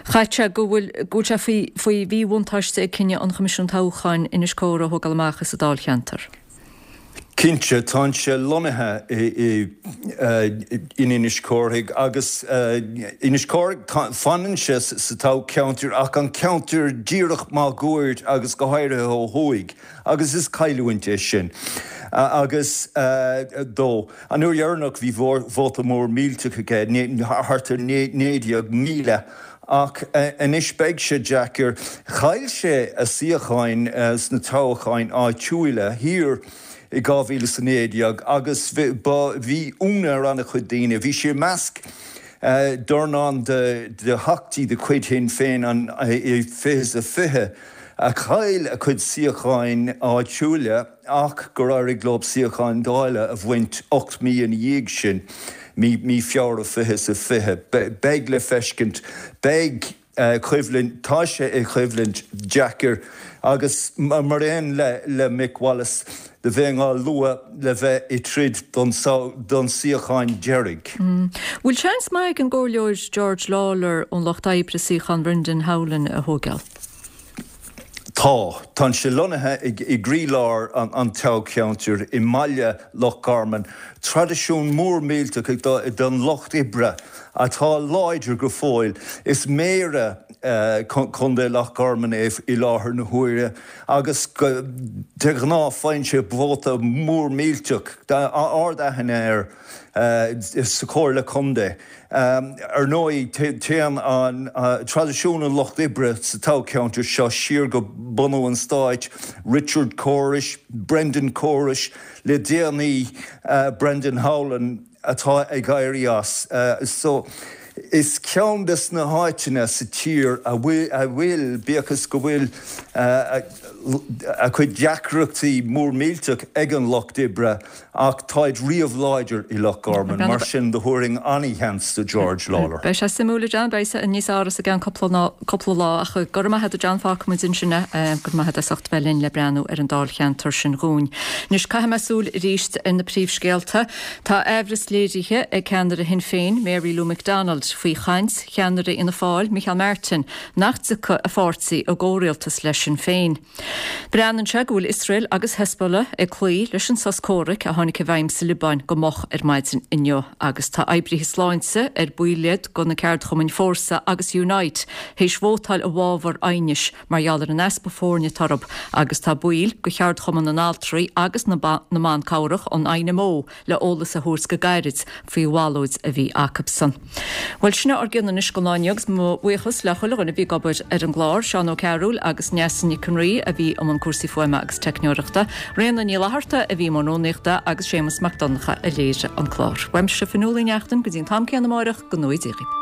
Chaithfeadh sé go bhfuil go bhfuil sé faoi faoi mhíbhuntáiste ag cinneadh an Choimisiúin Toghcháin Inis Córthaidh a thógáil amach as an dáilcheantar. Cinnte, tá sé lonnaithe i in Inis Córthaidh agus Inis Córthaidh, fanann sé sa toghcheantar ach an ceantar díreach máguaird agus go háirithe ó thuaidh agus is cailliúint é sin agus dó. An uair dheireanach bhí vóta mór millteach aige, thart ar naoi déag míle, ach anois beidh sé deacair. Chaill sé a suíocháin sna toghcháin áitiúla thiar i dhá mhíle is a naoi déag agus bhí ionadh ar an-chuid daoine. Bhí sé i measc dornán de theachtaí de chuid Shinn Féin i fiche is a fiche a chaill a cuid suíocháin áitiúla ach gur éirigh leo suíocháin Dála a bhaint ocht mí ina dhiaidh sin, mí Feabhra fiche is a fiche. Beidh le feiscint. Beidh coimhlint, tá sé i choimhlint deacair agus mar aon le Mick Wallace do bheinn á lua le bheith i troid don don suíochán deiridh. Bhfuil seans maith ag an gComhairleoir George Lawlor ón Lucht Oibre suíochán Brendan Howlin a thógáil? Tá. Tá sé lonnaithe i gcroílár an toghcheantair, i mbaile Loch Garman. Traidisiún mór millteach den Lucht Oibre atá láidir go fóill. Is méara Chontae Loch Garman é i láthair na huaire agus de ghnáth faigheann sé vóta mór millteach, ard-aithne air sa Chomhairle Contae. Ar ndóigh, téann an traidisiún an Lucht Oibre sa toghcheantar seo siar go bunú an stáit, Richard Corish, Brendan Corish, le déanaí Brendan Howlin atá ag éirí as. So, Is ceann des na háiteanna sa tír a bhfuil, bíodh is go bhfuil a cuid deacrachtaí mór millteach ag an Lucht Oibre, ach táid riamh láidir i Loch Garman, mar sin do thabharfainn an-sheans do George Lawlor. Beidh sé suimiúil, a John, beidh sé níos fearr i gceann cúpla lá, ach go raibh maith agat a John, fágfaidh muid ansin é, go raibh maith agat as ucht bheith linn le breathnú ar an dáilcheantar sin dhúinn. Anois caithfidh mé súil arís ar na príomhscéalta. Tá aimhreas léirithe ag ceannaire Shinn Féin, Mary Lou McDonald, faoi chaint cheannaire Fhianna Fáil, Micheál Martin, nach dtiocfaidh a pháirtí i gcomhrialtas le Sinn Féin. Breathnaíonn sé go bhfuil Iosrael agus Hezbollah ag cloí leis an sos comhraic a tháinig i bhfeidhm sa Liobáin go moch ar maidin inniu agus tá oibrithe sláinte ar baill iad de na ceardchumainn Fórsa agus Unite théis vótáil i bhfabhar aighnis mar gheall ar an easpa foirne atá orthu agus tá baill de cheardchumann na n-altraí agus na mban cabhrach, an INMO, le eolas a thabhairt go gairid faoi bhallóid a bhí acusan. Bhuel, sin ár gcion anois don lá inniu agus mo bhuíochas le chuile dhuine a bhí ag obair ar an gclár, Seán Ó Cearúil agus Neasa Nic an Rí a bhí i mbun cúrsaí fuaime agus teicneoireachta, Ríona Ní Fhlatharta a bhí i mbun rúnaíochta agus Séamus Mac Donncha a léirigh an clár. Uaimse Fionnuala Ní Neachtain go dtí an t-am céanna amáireach, go ngnóthaí Dia dhaoibh.